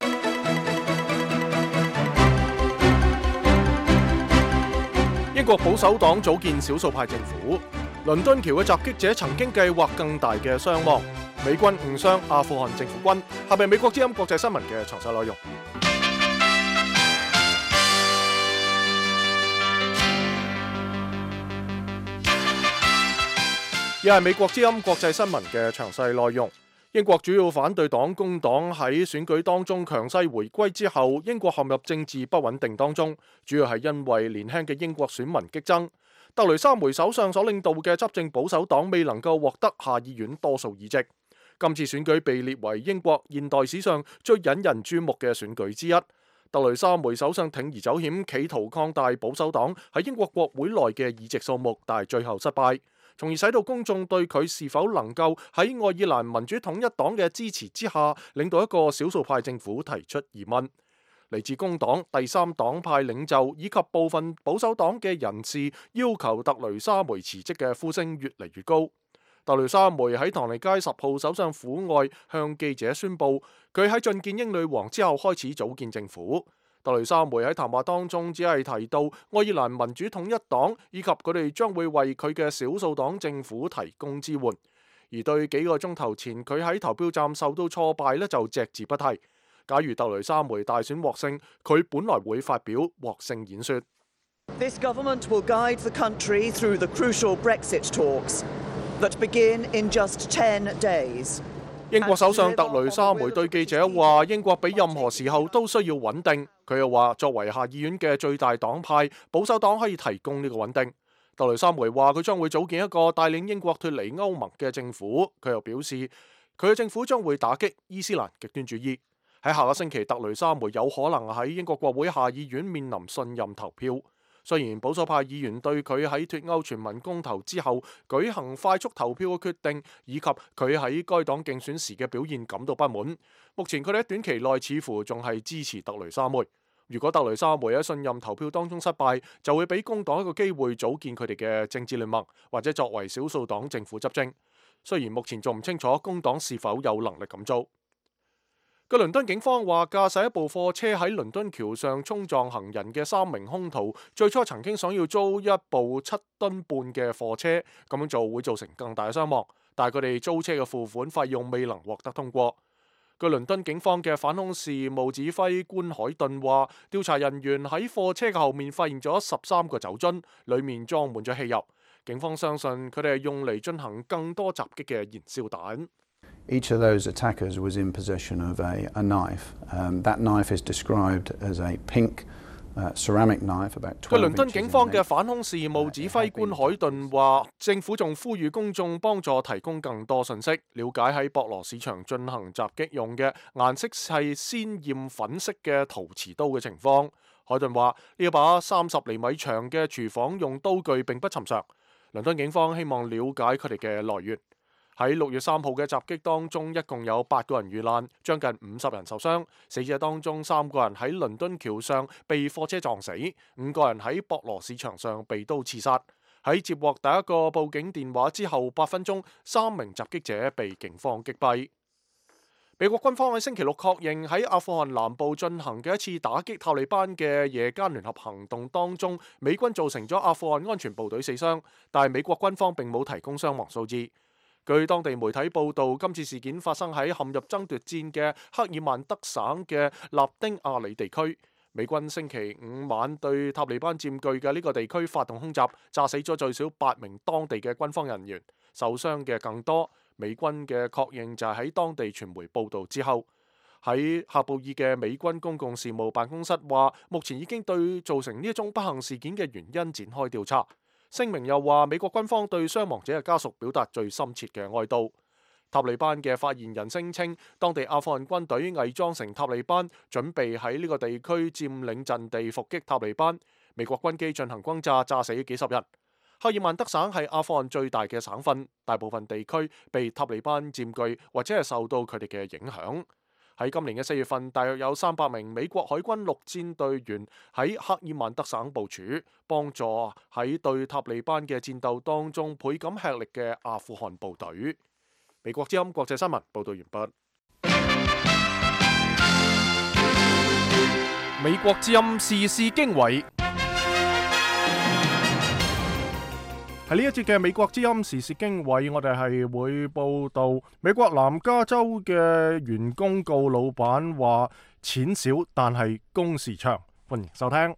Speaker 1: 英國保守黨組建少數派政府。倫敦橋嘅襲擊者曾經計劃更大嘅傷亡。美軍誤傷阿富汗政府軍。下邊美國之音國際新聞嘅詳細內容。亦係美國之音國際新聞嘅詳細內容。英國主要反對黨工黨喺選舉當中強勢回歸之後，英國陷入政治不穩定當中，主要係因為年輕嘅英國選民激增。特雷莎梅首相所領導嘅執政保守黨未能夠獲得下議院多數議席。今次選舉被列為英國現代史上最引人注目嘅選舉之一。特雷莎梅首相鋌而走險，企圖擴大保守黨喺英國國會內嘅議席數目，但係最後失敗，從而使到公眾對佢是否能夠喺愛爾蘭民主統一黨嘅支持之下領導一個少數派政府提出疑問。嚟自工黨、第三黨派領袖以及部分保守黨嘅人士要求特雷莎梅辭職嘅呼聲越嚟越高。特雷莎梅喺唐尼街十號首相府外向記者宣布，佢喺覲見英女王之後開始組建政府。特雷莎梅喺談話當中只係提到愛爾蘭民主統一黨以及佢哋將會為佢嘅少數黨政府提供支援。而對幾個鐘頭前佢喺投票站受到挫敗呢，就隻字不提。假如特雷莎梅大選獲勝，佢本來會發表獲勝演說。
Speaker 11: This government will guide the country through the crucial Brexit talks that begin in just ten days.
Speaker 1: 英國首相特雷莎梅對記者話：英國比任何時候都需要穩定。佢又話：作為下議院嘅最大黨派，保守黨可以提供呢個穩定。特雷莎梅話：佢將會組建一個帶領英國脫離歐盟嘅政府。佢又表示，佢嘅政府將會打擊伊斯蘭極端主義。喺下個星期，特雷莎梅有可能喺英國國會下議院面臨信任投票。雖然保守派議員對佢喺脫歐全民公投之後舉行快速投票嘅決定，以及佢喺該黨競選時嘅表現感到不滿，目前佢哋喺短期內似乎仲係支持特雷莎梅。如果特雷莎梅喺信任投票當中失敗，就會俾工黨一個機會組建佢哋嘅政治聯盟，或者作為少數黨政府執政。雖然目前仲唔清楚工黨是否有能力咁做。據倫敦警方話，駕駛一部貨車喺倫敦橋上衝撞行人嘅三名兇徒，最初曾經想要租一部七噸半嘅貨車，咁樣做會造成更大嘅傷亡，但係佢哋租車嘅付款費用未能獲得通過。據倫敦警方嘅反恐事務指揮官海頓話，調查人員喺貨車嘅後面發現咗十三個酒樽，裡面裝滿咗汽油。警方相信佢哋係用嚟進行更多襲擊嘅燃燒彈。
Speaker 12: Each of those attackers was in possession of a, a knife. Um, that knife is described as a pink uh, ceramic knife, about twelve inches in length.
Speaker 1: 據倫敦警方嘅反恐事務指揮官海頓話，政府仲呼籲公眾幫助提供更多信息，了解喺博羅市場進行襲擊用嘅顏色係鮮豔粉色嘅陶瓷刀嘅情況。海頓話：呢一把三十厘米長嘅廚房用刀具並不尋常。倫敦警方希望了解佢哋嘅來源。喺六月三號嘅襲擊當中，一共有八個人遇難，將近五十人受傷。死者當中三個人喺倫敦橋上被貨車撞死，五個人喺博羅市場上被刀刺殺。喺接獲第一個報警電話之後八分鐘，三名襲擊者被警方擊斃。美國軍方喺星期六確認喺阿富汗南部進行嘅一次打擊塔利班嘅夜間聯合行動當中，美軍造成咗阿富汗安全部隊死傷，但係美國軍方並冇提供傷亡數字。據當地媒體報導，今次事件發生喺陷入爭奪戰嘅克爾曼德省嘅納丁亞里地區。美軍星期五晚對塔利班佔據嘅呢個地區發動空襲，炸死咗最少八名當地嘅軍方人員，受傷嘅更多。美軍嘅確認就係喺當地傳媒報導之後。喺喀布爾嘅美軍公共事務辦公室話，目前已經對造成呢一宗不幸事件嘅原因展開調查。聲明又話，美國軍方對傷亡者嘅家屬表達最深切嘅哀悼。塔利班嘅發言人聲稱，當地阿富汗軍隊偽裝成塔利班，準備喺呢個地區佔領陣地伏擊塔利班。美國軍機進行轟炸，炸死幾十人。赫爾曼德省係阿富汗最大嘅省份，大部分地區被塔利班佔據或者係受到佢哋嘅影響。喺今年嘅四月份，大約有三百名美國海軍陸戰隊員喺赫爾曼德省部署，幫助喺對塔利班嘅戰鬥當中倍感吃力嘅阿富汗部隊。美國之音國際新聞報道完畢。美國之音時事經緯。喺呢一節嘅美國之音時事經緯，我哋係會報道美國南加州嘅員工告老闆話錢少但係工時長。歡迎收聽。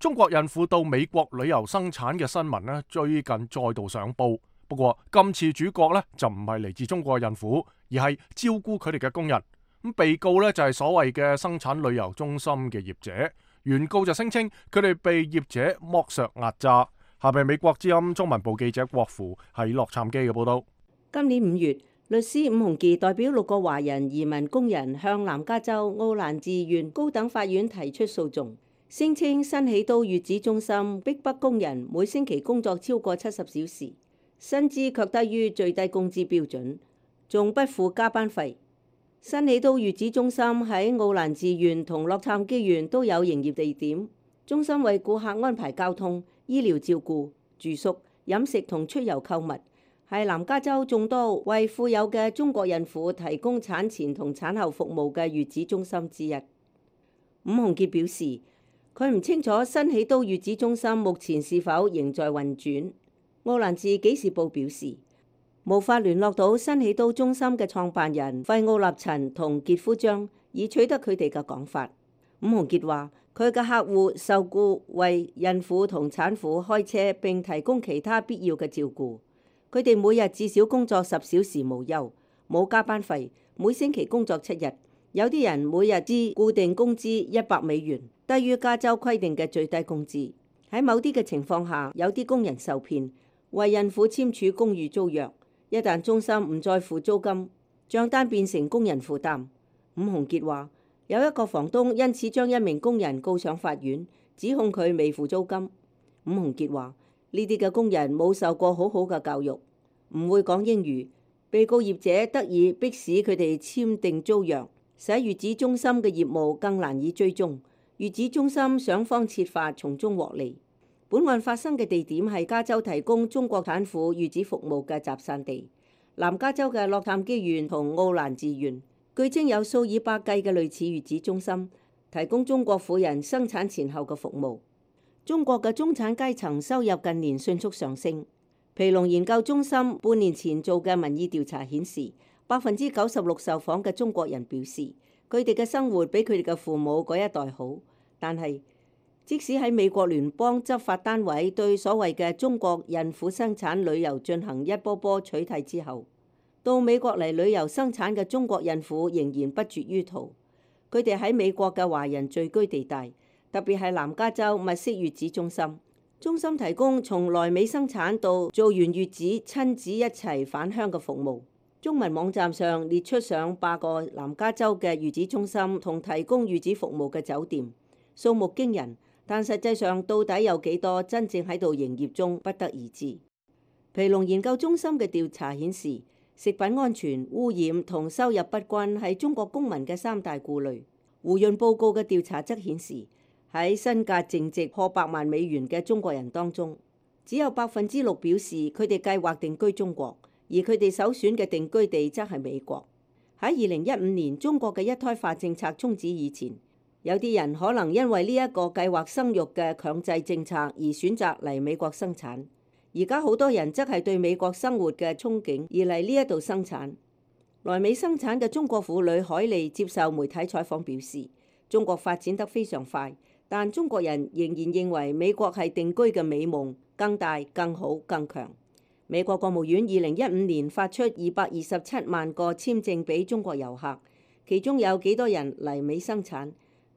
Speaker 1: 中國孕婦到美國旅遊生產嘅新聞呢，最近再度上報。不過今次主角呢，就唔係嚟自中國孕婦，而係照顧佢哋嘅工人。咁被告呢，就係所謂嘅生產旅遊中心嘅業者。原告就聲稱佢哋被業者剝削壓榨。下邊美國之音中文部記者郭芙喺洛杉磯嘅報道。
Speaker 10: 今年五月，律師伍鴻傑代表六個華人移民工人向南加州奧蘭治縣高等法院提出訴訟，聲稱新起都月子中心逼迫工人每星期工作超過七十小時，薪資卻低於最低工資標準，仲不付加班費。新起都月子中心喺奧蘭治縣同洛杉磯縣都有營業地點，中心為顧客安排交通、醫療照顧、住宿、飲食同出遊購物，係南加州眾多為富有嘅中國孕婦提供產前同產後服務嘅月子中心之一。伍鴻傑表示，佢唔清楚新起都月子中心目前是否仍在運轉。奧蘭治紀事報表示，無法聯絡到新起都中心嘅創辦人費奧納陳同傑夫張，以取得佢哋嘅講法。伍鴻傑話，佢嘅客戶受僱為孕婦同產婦開車並提供其他必要嘅照顧，佢哋每日至少工作十小時無休，冇加班費，每星期工作七日。有啲人每日支固定工資一百美元，低於加州規定嘅最低工資。喺某啲嘅情況下，有啲工人受騙，為孕婦簽署公寓租約，一旦中心唔再付租金，帳單變成工人負擔。伍鴻傑話，有一個房東因此將一名工人告上法院，指控佢未付租金。伍鴻傑話，呢啲嘅工人冇受過好好嘅教育，唔會講英語，被告業者得以迫使佢哋簽訂租約，使月子中心嘅業務更難以追蹤。月子中心想方設法從中獲利。本案發生嘅地點係加州提供中國產婦月子服務嘅集散地，南加州嘅洛杉磯縣同奧蘭治縣。據稱有數以百計嘅類似月子中心，提供中國婦人生產前後嘅服務。中國嘅中產階層收入近年迅速上升。皮隆研究中心半年前做嘅民意調查顯示，百分之九十六受訪嘅中國人表示，佢哋嘅生活比佢哋嘅父母嗰一代好。但係，即使喺美國聯邦執法單位對所謂嘅中國孕婦生產旅遊進行一波波取締之後，到美國嚟旅遊生產嘅中國孕婦仍然不絕於途。佢哋喺美國嘅華人聚居地帶，特別係南加州物色月子中心。中心提供從來美生產到做完月子親子一齊返鄉嘅服務。中文網站上列出上百個南加州嘅月子中心同提供月子服務嘅酒店，數目驚人，但實際上到底有幾多真正喺度營業中，不得而知。皮隆研究中心嘅調查顯示，食品安全、污染同收入不均係中國公民嘅三大顧慮。胡潤報告嘅調查則顯示，喺身價淨值破百萬美元嘅中國人當中，只有百分之六表示佢哋計劃定居中國，而佢哋首選嘅定居地則係美國。喺二零一五年中國嘅一胎化政策終止以前，有啲人可能因為呢一個計劃生育嘅強制政策而選擇嚟美國生產。而家好多人則係對美國生活嘅憧憬而嚟呢一度生產。來美生產嘅中國婦女海莉接受媒體採訪表示，中國發展得非常快，但中國人仍然認為美國係定居嘅美夢，更大、更好、更強。美國國務院二零一五年發出二百二十七萬個簽證俾中國遊客，其中有幾多人嚟美生產，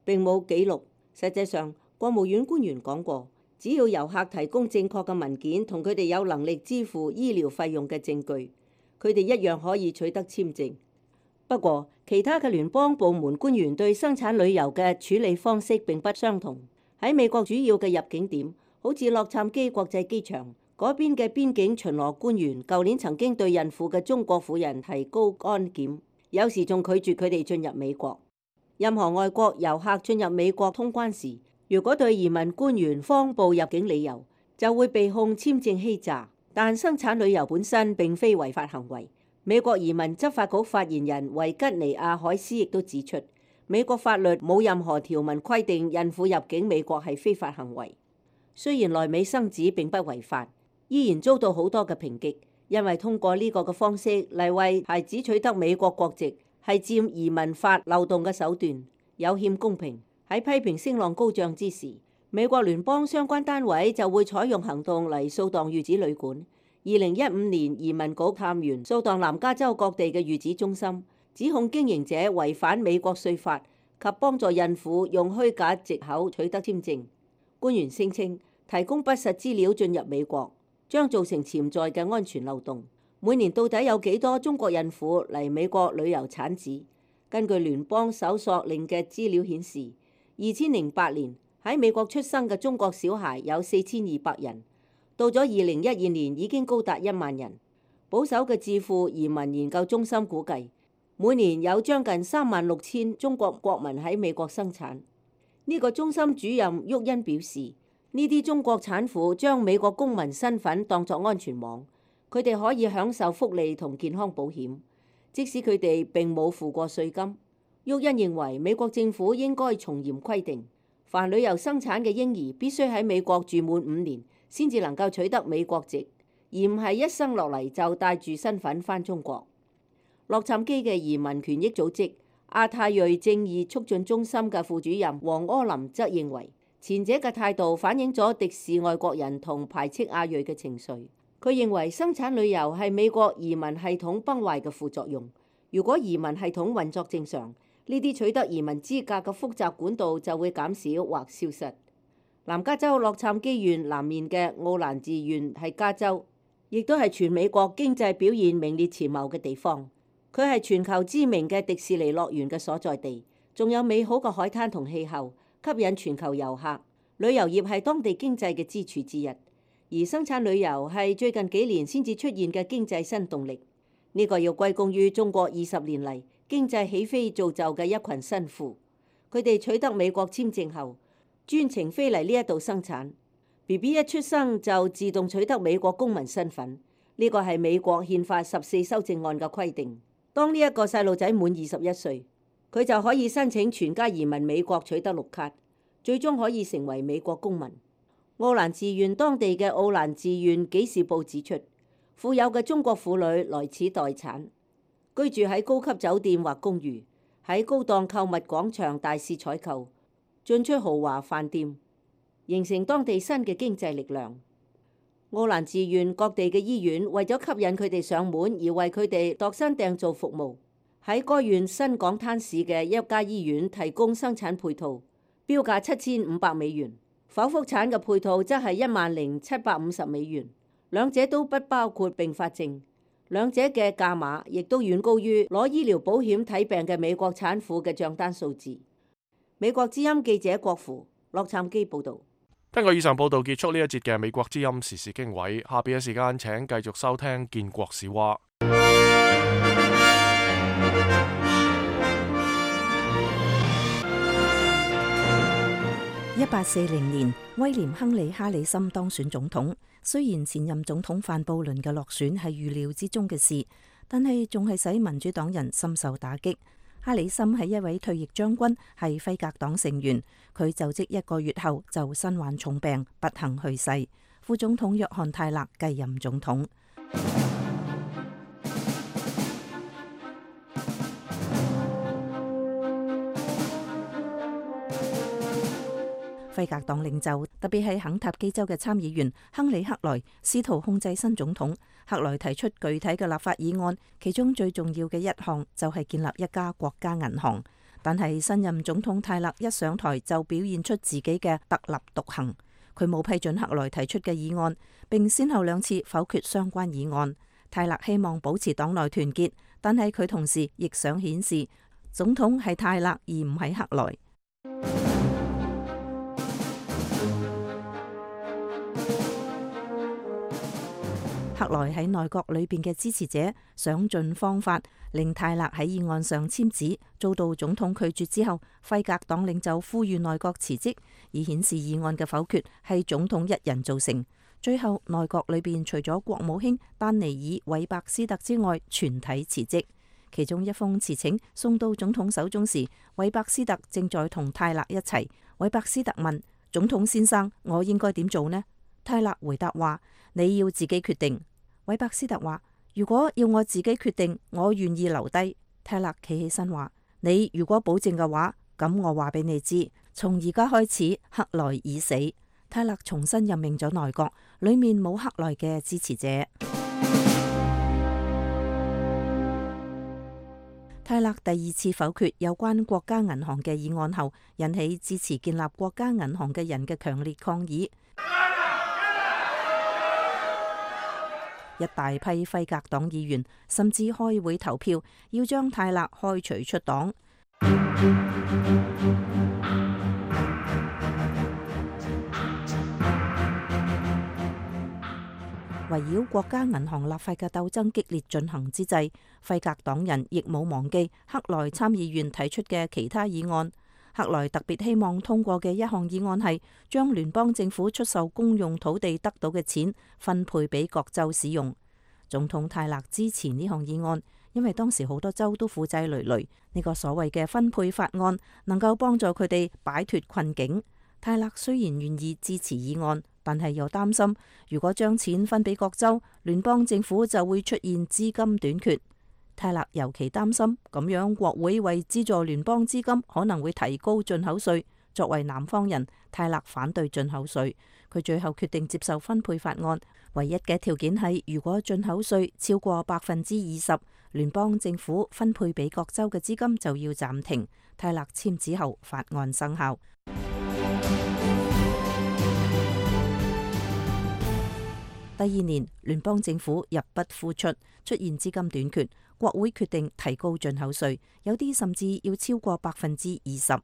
Speaker 10: 並冇記錄。實際上，國務院官員講過，只要遊客提供正確嘅文件同佢哋有能力支付醫療費用嘅證據，佢哋一樣可以取得簽證。不過，其他嘅聯邦部門官員對生產旅遊嘅處理方式並不相同。喺美國主要嘅入境點，好似洛杉磯國際機場嗰邊嘅邊境巡邏官員，舊年曾經對孕婦嘅中國婦人提高安檢，有時仲拒絕佢哋進入美國。任何外國遊客進入美國通關時，如果對移民官員謊報入境理由，就會被控簽證欺詐。但生產旅遊本身並非違法行為。美國移民執法局發言人維吉尼亞海斯亦都指出，美國法律冇任何條文規定孕婦入境美國係非法行為。雖然來美生子並不違法，依然遭到好多嘅抨擊，因為通過呢個嘅方式嚟為孩子取得美國國籍係佔移民法漏洞嘅手段，有欠公平。喺批評聲浪高漲之時，美國聯邦相關單位就會採用行動嚟掃蕩育子旅館。二零一五年，移民局探員掃蕩南加州各地嘅育子中心，指控經營者違反美國稅法及幫助孕婦用虛假藉口取得簽證。官員聲稱，提供不實資料進入美國將造成潛在嘅安全漏洞。每年到底有幾多中國孕婦嚟美國旅遊產子？根據聯邦搜索令嘅資料顯示，二千零八年喺美國出生嘅中國小孩有四千二百人。到咗二零一二年已經高達一萬人。保守嘅智庫移民研究中心估計，每年有將近三萬六千中國國民喺美國生產。呢個中心主任沃恩表示，呢啲中國產婦將美國公民身份當作安全網，佢哋可以享受福利同健康保險，即使佢哋並冇付過稅金。沃恩認為美國政府應該從嚴規定，凡旅遊生產嘅嬰兒必須喺美國住滿五年，先至能夠取得美國籍，而唔係一生落嚟就帶住身份返中國。洛杉磯嘅移民權益組織亞太裔正義促進中心嘅副主任黃柯林則認為，前者嘅態度反映咗敵視外國人同排斥亞裔嘅情緒。佢認為生產旅遊係美國移民系統崩壞嘅副作用。如果移民系統運作正常，呢啲取得移民資格嘅複雜管道就會減少或消失。南加州洛杉磯縣南面嘅奧蘭治縣係加州，亦都係全美國經濟表現名列前茅嘅地方。佢係全球知名嘅迪士尼樂園嘅所在地，仲有美好嘅海灘同氣候，吸引全球遊客。旅遊業係當地經濟嘅支柱之一，而生產旅遊係最近幾年先至出現嘅經濟新動力。呢、這個要歸功於中國二十年嚟經濟起飛造就嘅一群新婦，佢哋取得美國簽證後，專程飛嚟呢一度生產 ，B B 一出生就自動取得美國公民身份。呢個係美國憲法十四修正案嘅規定。當呢一個細路仔滿二十一歲，佢就可以申請全家移民美國，取得綠卡，最終可以成為美國公民。奧蘭治縣當地嘅奧蘭治縣紀事報指出，富有嘅中國婦女來此待產，居住喺高級酒店或公寓，喺高檔購物廣場大肆採購，進出豪華飯店，形成當地新嘅經濟力量。奧蘭治縣各地嘅醫院為咗吸引佢哋上門而為佢哋度身訂造服務。喺該縣新港灘市嘅一家醫院提供生產配套，標價七千五百美元，剖腹產嘅配套則係一萬零七百五十美元，兩者都不包括併發症，兩者嘅價碼亦都遠高於攞醫療保險睇病嘅美國產婦嘅賬單數字。美國之音記者郭芙，洛杉磯報導。
Speaker 1: 聽過以上報導，結束呢一節嘅美國之音時事經緯。下邊嘅時間請繼續收聽建國史話。
Speaker 7: 一八四零年，威廉亨利哈里森當選總統。雖然前任總統范布倫嘅落選係預料之中嘅事，但係仲係使民主黨人深受打擊。哈里森係一位退役將軍，係輝格黨成員。佢就職一個月後就身患重病，不幸去世。副總統約翰泰勒繼任總統。輝輝格黨領袖，特別係肯塔基州嘅參議員亨利克萊，試圖控制新總統。克萊提出具體嘅立法議案，其中最重要嘅一項就係建立一家國家銀行。但係新任總統泰勒一上台就表現出自己嘅特立獨行，佢冇批准克萊提出嘅議案，並先後兩次否決相關議案。泰勒希望保持黨內團結，但係佢同時亦想顯示總統係泰勒而唔係克萊。克萊喺內閣裏邊嘅支持者想盡方法令泰勒喺議案上簽字，遭到總統拒絕之後，輝格黨領袖呼籲內閣辭職，以顯示議案嘅否決係總統一人造成。最後內閣裏邊除咗國務卿丹尼爾韋伯斯特之外，全體辭職。其中一封辭請送到總統手中時，韋伯斯特正在同泰勒一齊。韋伯斯特問總統先生：我應該點做呢？泰勒回答話：你要自己決定。韋伯斯特話：如果要我自己決定，我願意留低。泰勒企起身話：你如果保證嘅話，咁我話俾你知，從而家開始，克萊已死。泰勒重新任命咗內閣，裏面冇克萊嘅支持者。泰勒第二次否決有關國家銀行嘅議案後，引起支持建立國家銀行嘅人嘅強烈抗議。一大批輝格黨議員甚至開會投票，要將泰勒開除出黨。圍繞國家銀行立法嘅鬥爭激烈進行之際，輝格黨人亦冇忘記克萊參議員提出嘅其他議案。克萊特別希望通過嘅一項議案係將聯邦政府出售公用土地得到嘅錢分配俾各州使用。總統泰勒支持呢項議案，因為當時好多州都負債累累，呢個所謂嘅分配法案能夠幫助佢哋擺脫困境。泰勒雖然願意支持議案，但係又擔心如果將錢分俾各州，聯邦政府就會出現資金短缺。泰勒尤其擔心咁樣國會為資助聯邦資金可能會提高進口稅。作為南方人，泰勒反對進口稅。佢最後決定接受分配法案，唯一嘅條件係如果進口稅超過百分之二十，聯邦政府分配俾各州嘅資金就要暫停。泰勒簽字後，法案生效。第二年，聯邦政府入不敷出，出現資金短缺，國會決定提高進口稅，有啲甚至要超過百分之二十。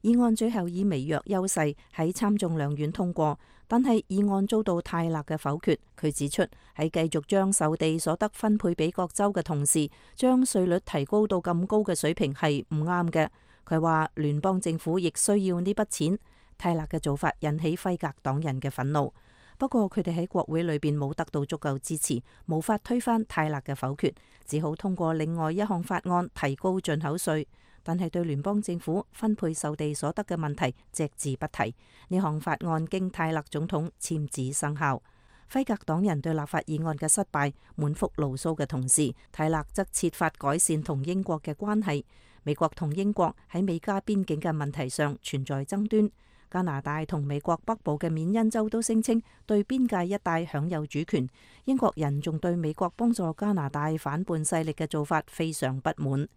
Speaker 7: 議案最後以微弱優勢喺參眾兩院通過，但係議案遭到泰勒嘅否決。佢指出喺繼續將售地所得分配俾各州嘅同時，將稅率提高到咁高嘅水平係唔啱嘅。佢話聯邦政府亦需要呢筆錢。泰勒嘅做法引起輝格黨人嘅憤怒，不過佢哋喺國會裏邊冇得到足夠支持，無法推翻泰勒嘅否決，只好通過另外一項法案提高進口稅。但係對聯邦政府分配售地所得嘅問題隻字不提。呢項法案經泰勒總統簽字生效。輝格黨人對立法議案嘅失敗滿腹牢騷嘅同時，泰勒則設法改善同英國嘅關係。美國同英國喺美加邊境嘅問題上存在爭端。加拿大同美國北部嘅緬因州都聲稱對邊界一帶享有主權。英國人仲對美國幫助加拿大反叛勢力嘅做法非常不滿。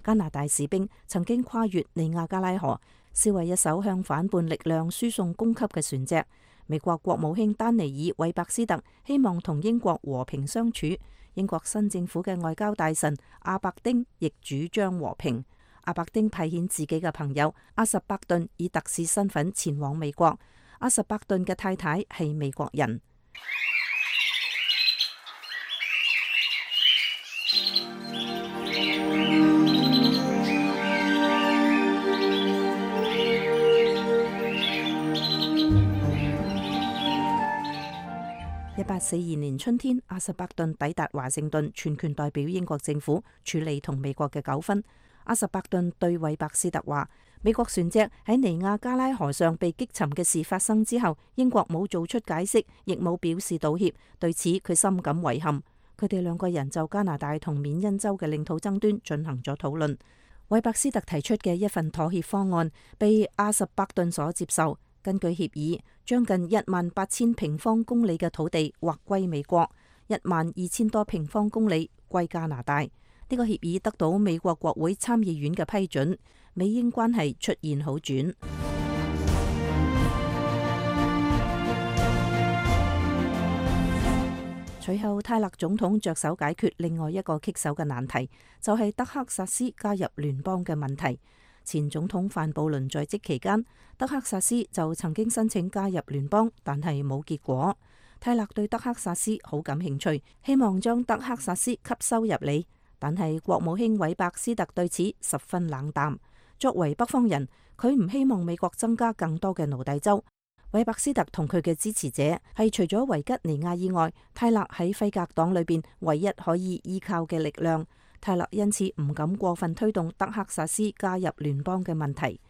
Speaker 7: 加拿大士兵曾經跨越尼亞加拉河，燒毀一艘向反叛力量輸送供給嘅船隻。美國國務卿丹尼爾韋伯斯特希望同英國和平相處。英國新政府嘅外交大臣阿伯丁亦主張和平。阿伯丁派遣自己嘅朋友阿什伯頓以特使身份前往美國。阿什伯頓嘅太太係美國人。一八四二年春天，阿什伯頓抵達華盛頓，全權代表英國政府處理同美國嘅糾紛。阿什伯頓對韋伯斯特話：美國船隻喺尼亞加拉河上被擊沉嘅事發生之後，英國冇做出解釋，亦冇表示道歉，對此佢深感遺憾。佢哋兩個人就加拿大同緬因州嘅領土爭端進行咗討論。韋伯斯特提出嘅一份妥協方案被阿什伯頓所接受。根據協議，將近一萬八千平方公里嘅土地劃歸美國，一萬二千多平方公里歸加拿大。呢個協議得到美國國會參議院嘅批准，美英關係出現好轉。隨後，泰勒總統着手解決另外一個棘手嘅難題，就係德克薩斯加入聯邦嘅問題。前總統范布倫在職期間，德克薩斯就曾經申請加入聯邦，但係冇結果。泰勒對德克薩斯好感興趣，希望將德克薩斯吸收入嚟，但係國務卿韋伯斯特對此十分冷淡。作為北方人，佢唔希望美國增加更多嘅奴隸州。韋伯斯特同佢嘅支持者係除咗維吉尼亞以外，泰勒喺輝格黨裏邊唯一可以依靠嘅力量。泰勒因此唔敢過分推動德克薩斯加入聯邦嘅問題。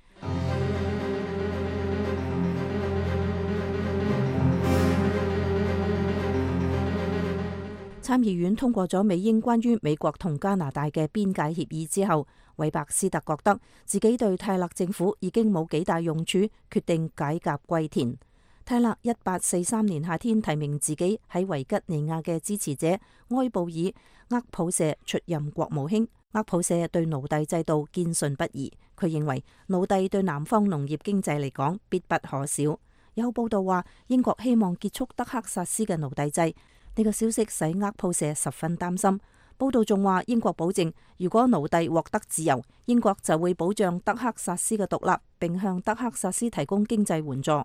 Speaker 7: 參議院通過咗美英關於美國同加拿大嘅邊界協議之後，韋伯斯特覺得自己對泰勒政府已經冇幾大用處，決定解甲歸田。泰勒一八四三年夏天提名自己喺維吉尼亞嘅支持者埃布爾厄普舍出任國務卿。厄普舍對奴隸制度堅信不疑，佢認為奴隸對南方農業經濟嚟講必不可少。有報道話英國希望結束德克薩斯嘅奴隸制，呢個消息使厄普舍十分擔心。報道仲話英國保證，如果奴隸獲得自由，英國就會保障德克薩斯嘅獨立，並向德克薩斯提供經濟援助。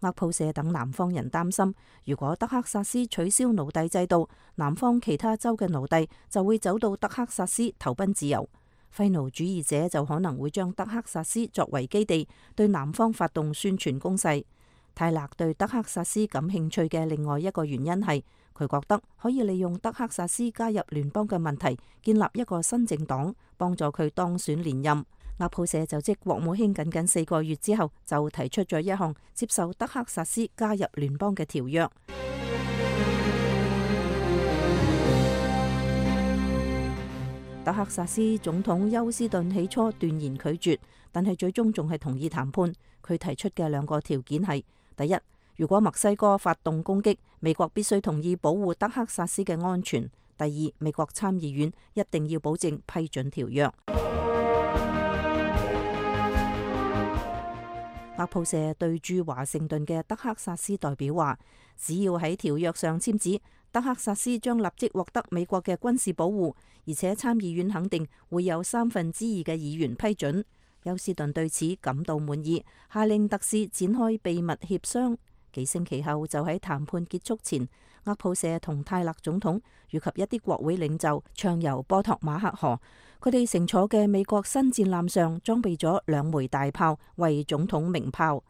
Speaker 7: 厄普舍等南方人擔心，如果德克薩斯取消奴隸制度，南方其他州嘅奴隸就會走到德克薩斯投奔自由。廢奴主義者就可能會將德克薩斯作為基地，對南方發動宣傳攻勢。泰勒對德克薩斯感興趣嘅另外一個原因係，佢覺得可以利用德克薩斯加入聯邦嘅問題，建立一個新政黨，幫助佢當選連任。厄普舍就職國務卿僅僅四個月之後，就提出咗一項接受德克薩斯加入聯邦嘅條約。德克薩斯總統休斯頓起初斷然拒絕，但係最終仲係同意談判。佢提出嘅兩個條件係：第一，如果墨西哥發動攻擊，美國必須同意保護德克薩斯嘅安全；第二，美國參議院一定要保證批准條約。厄普舍對駐華盛頓嘅德克薩斯代表話，只要喺條約上簽字，德克薩斯將立即獲得美國嘅軍事保護，而且參議院肯定會有三分之二嘅議員批准。休斯頓對此感到滿意，下令特使展開秘密協商。幾星期後，就喺談判結束前，厄普舍同泰勒總統以及一啲國會領袖暢遊波托馬克河。佢哋乘坐嘅美國新戰艦上裝備咗兩枚大炮，為總統鳴炮。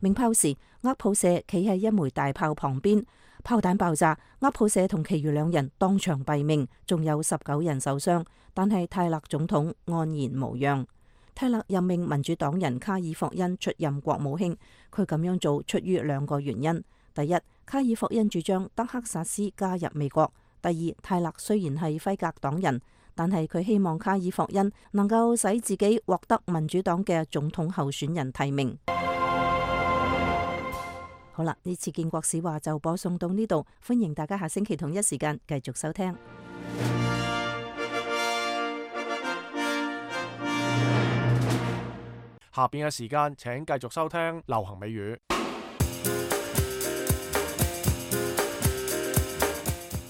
Speaker 7: 鳴炮時，厄普舍企喺一枚大炮旁邊，炮彈爆炸，厄普舍同其餘兩人當場斃命，仲有十九人受傷。但係泰勒總統安然無恙。泰勒任命民主黨人卡爾霍恩出任國務卿，佢咁樣做出於兩個原因：第一，卡爾霍恩主張德克薩斯加入美國；第二，泰勒雖然係輝格黨人，但係佢希望卡爾霍恩能夠使自己獲得民主黨嘅總統候選人提名。好啦，呢次建國史話就播送到呢度，歡迎大家下星期同一時間繼續收聽。
Speaker 1: 下邊嘅時間請繼續收聽流行美語。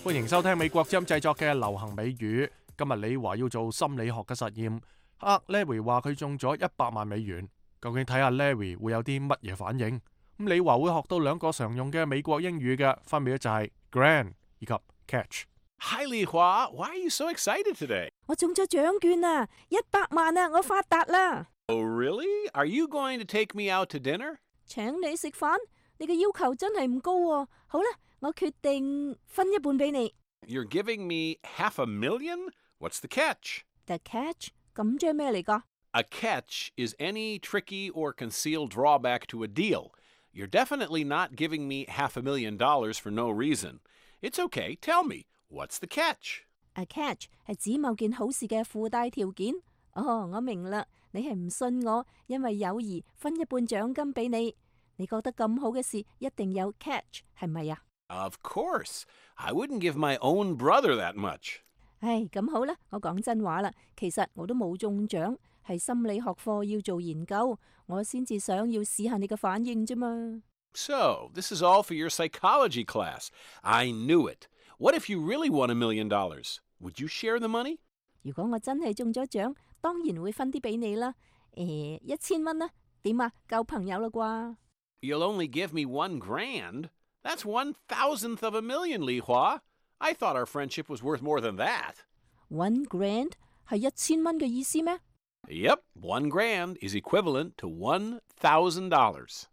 Speaker 1: 歡迎收聽美國之音製作嘅流行美語。今日你話要做心理學嘅實驗，啊 Larry 話佢中咗一百萬美元，究竟睇下 Larry 會有啲乜嘢反應？咁你話會學到兩個常用嘅美國英語嘅，分別就係 grand 以及 catch。Hi
Speaker 13: 李華 ，Why are you so excited today？
Speaker 7: 我中咗獎券啊，一百萬啊，我發達啦！
Speaker 13: Oh really? Are you going to take me out to dinner？
Speaker 7: 請你食飯？你嘅要求真係唔高喎。好啦，我決定分一半俾你。
Speaker 13: You're giving me half a million? What's the catch?
Speaker 7: The catch? 咁即係咩嚟㗎？
Speaker 13: A catch is any tricky or concealed drawback to a deal. You're definitely not giving me half a million dollars for no reason. It's okay. Tell me, what's the catch?
Speaker 7: A catch 係指某件好事嘅附帶條件。哦，我明啦，你係唔信我，因為友誼分一半獎金俾你。你覺得咁好嘅事一定有 catch， 係咪啊？
Speaker 13: Of course. I wouldn't give my own brother that much.
Speaker 7: 唉，咁好啦，我講真話啦，其實我都冇中獎，係心理學課要做研究，我先至想要試下你嘅反應啫嘛。
Speaker 13: So, this is all for your psychology class. I knew it. What if you really won a million dollars? Would you share the money?
Speaker 7: 如果我真係中咗獎，當然會分啲俾你啦。誒，一千蚊啦，點啊？夠朋友啦啩？
Speaker 13: You'll only give me one grand? That's one thousandth of a million, Li Hua. I thought our friendship was worth more than that.
Speaker 7: One grand 係一千蚊嘅意思咩？
Speaker 13: Yep, one grand is equivalent to one thousand dollars.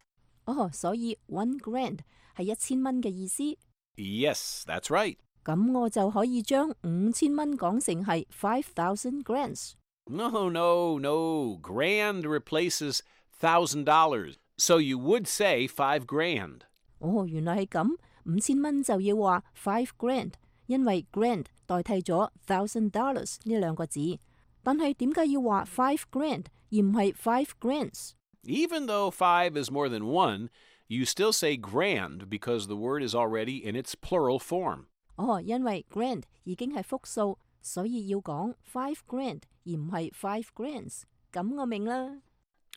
Speaker 7: 哦，所以 one grand 係一千蚊嘅意思。
Speaker 13: Yes, that's right.
Speaker 7: 咁我就可以將五千蚊講成係 five thousand grands。
Speaker 13: No, no, no. Grand replaces thousand dollars. So you would say five grand.
Speaker 7: 哦，原來係咁，五千蚊就要話 five grand， 因為 grand 代替咗 thousand dollars 呢兩個字。但係點解要話 five grand 而唔係 five grands？
Speaker 13: Even though five is more than one, you still say grand because the word is already in its plural form.
Speaker 7: 哦，因為 grand 已經係複數，所以要講 five grand 而唔係 five grands。咁我明啦。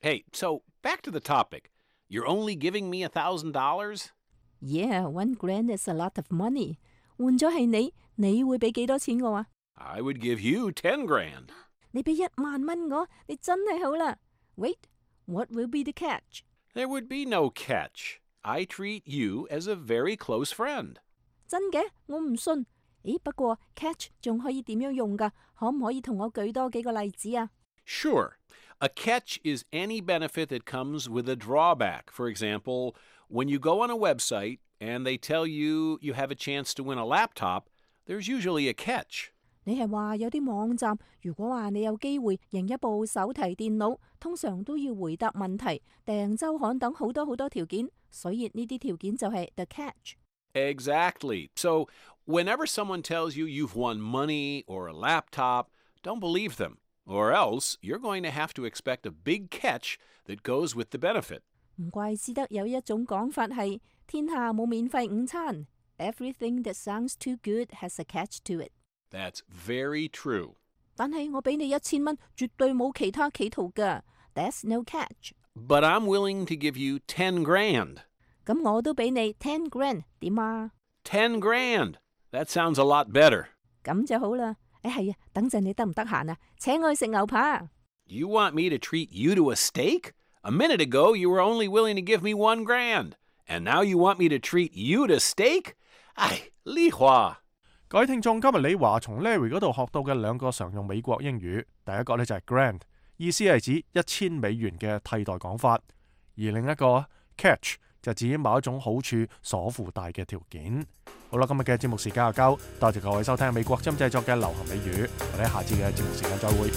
Speaker 13: Hey, so back to the topic. You're only giving me a thousand dollars?
Speaker 7: Yeah, one grand is a lot of money. 換咗係你，你會俾幾多錢我啊？
Speaker 13: I would give you ten grand.
Speaker 7: 你俾一萬蚊我，你真係好啦。Wait, what will be the catch?
Speaker 13: There would be no catch. I treat you as a very close friend.
Speaker 7: 真嘅？我唔信。咦，不過 catch 仲可以點樣用㗎？可唔可以同我舉多幾個例子啊？
Speaker 13: Sure. A catch is any benefit that comes with a drawback. For example, when you go on a website and they tell you you have a chance to win a laptop, there's usually a catch.
Speaker 7: 你係話有啲網站，如果話你有機會贏一部手提電腦，通常都要回答問題、訂週刊等好多好多條件，所以呢啲條件就係 the catch.
Speaker 13: Exactly. So whenever someone tells you you've won money or a laptop, don't believe them. Or else you're going to have to expect a big catch that goes with the benefit.
Speaker 7: 唔怪之得有一種講法係天下冇免費午餐。Everything that sounds too good has a catch to it.
Speaker 13: That's very true.
Speaker 7: 但係我俾你一千蚊，絕對冇其他企圖㗎。That's no catch.
Speaker 13: But I'm willing to give you ten grand.
Speaker 7: 咁我都俾你 ten grand， 點啊？
Speaker 13: ten grand. That sounds a lot better.
Speaker 7: 咁就好啦。誒係啊，等陣你得唔得閒啊？請我去食牛扒。
Speaker 13: You want me to treat you to a steak? A minute ago, you were only willing to give me one grand. And now you want me to treat you to steak? 唉，李華。
Speaker 1: 各位聽眾，今日李華從 Larry 嗰度學到嘅兩個常用美國英語，第一個呢就係 grand， 意思係指一千美元嘅替代講法，而另一個 catch 就指某一種好處所附帶嘅條件。好啦，今日嘅節目時間就夠，多謝各位收聽美國之音製作嘅流行美語，我哋下次嘅節目時間再會。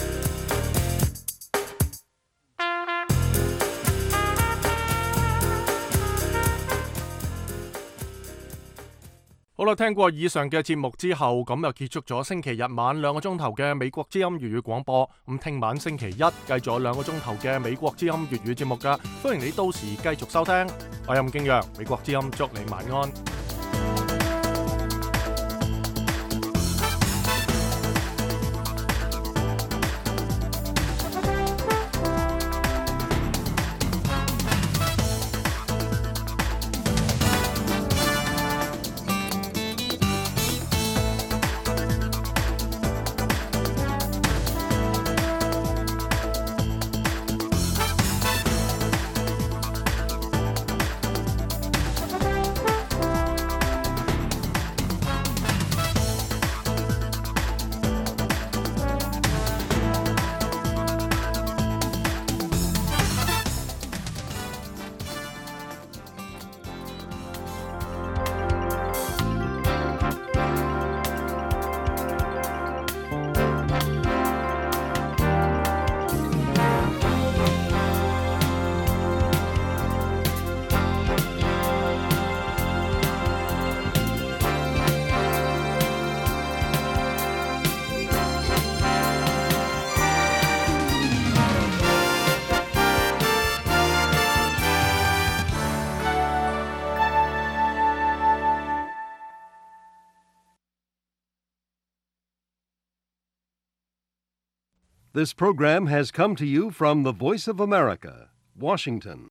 Speaker 1: 好啦，聽過以上嘅節目之後，咁就結束咗星期日晚兩個鐘頭嘅美國之音粵語廣播。咁聽晚星期一繼續有兩個鐘頭嘅美國之音粵語節目㗎，歡迎你到時繼續收聽。我係任敬陽，美國之音祝你晚安。
Speaker 14: This program has come to you from the Voice of America, Washington.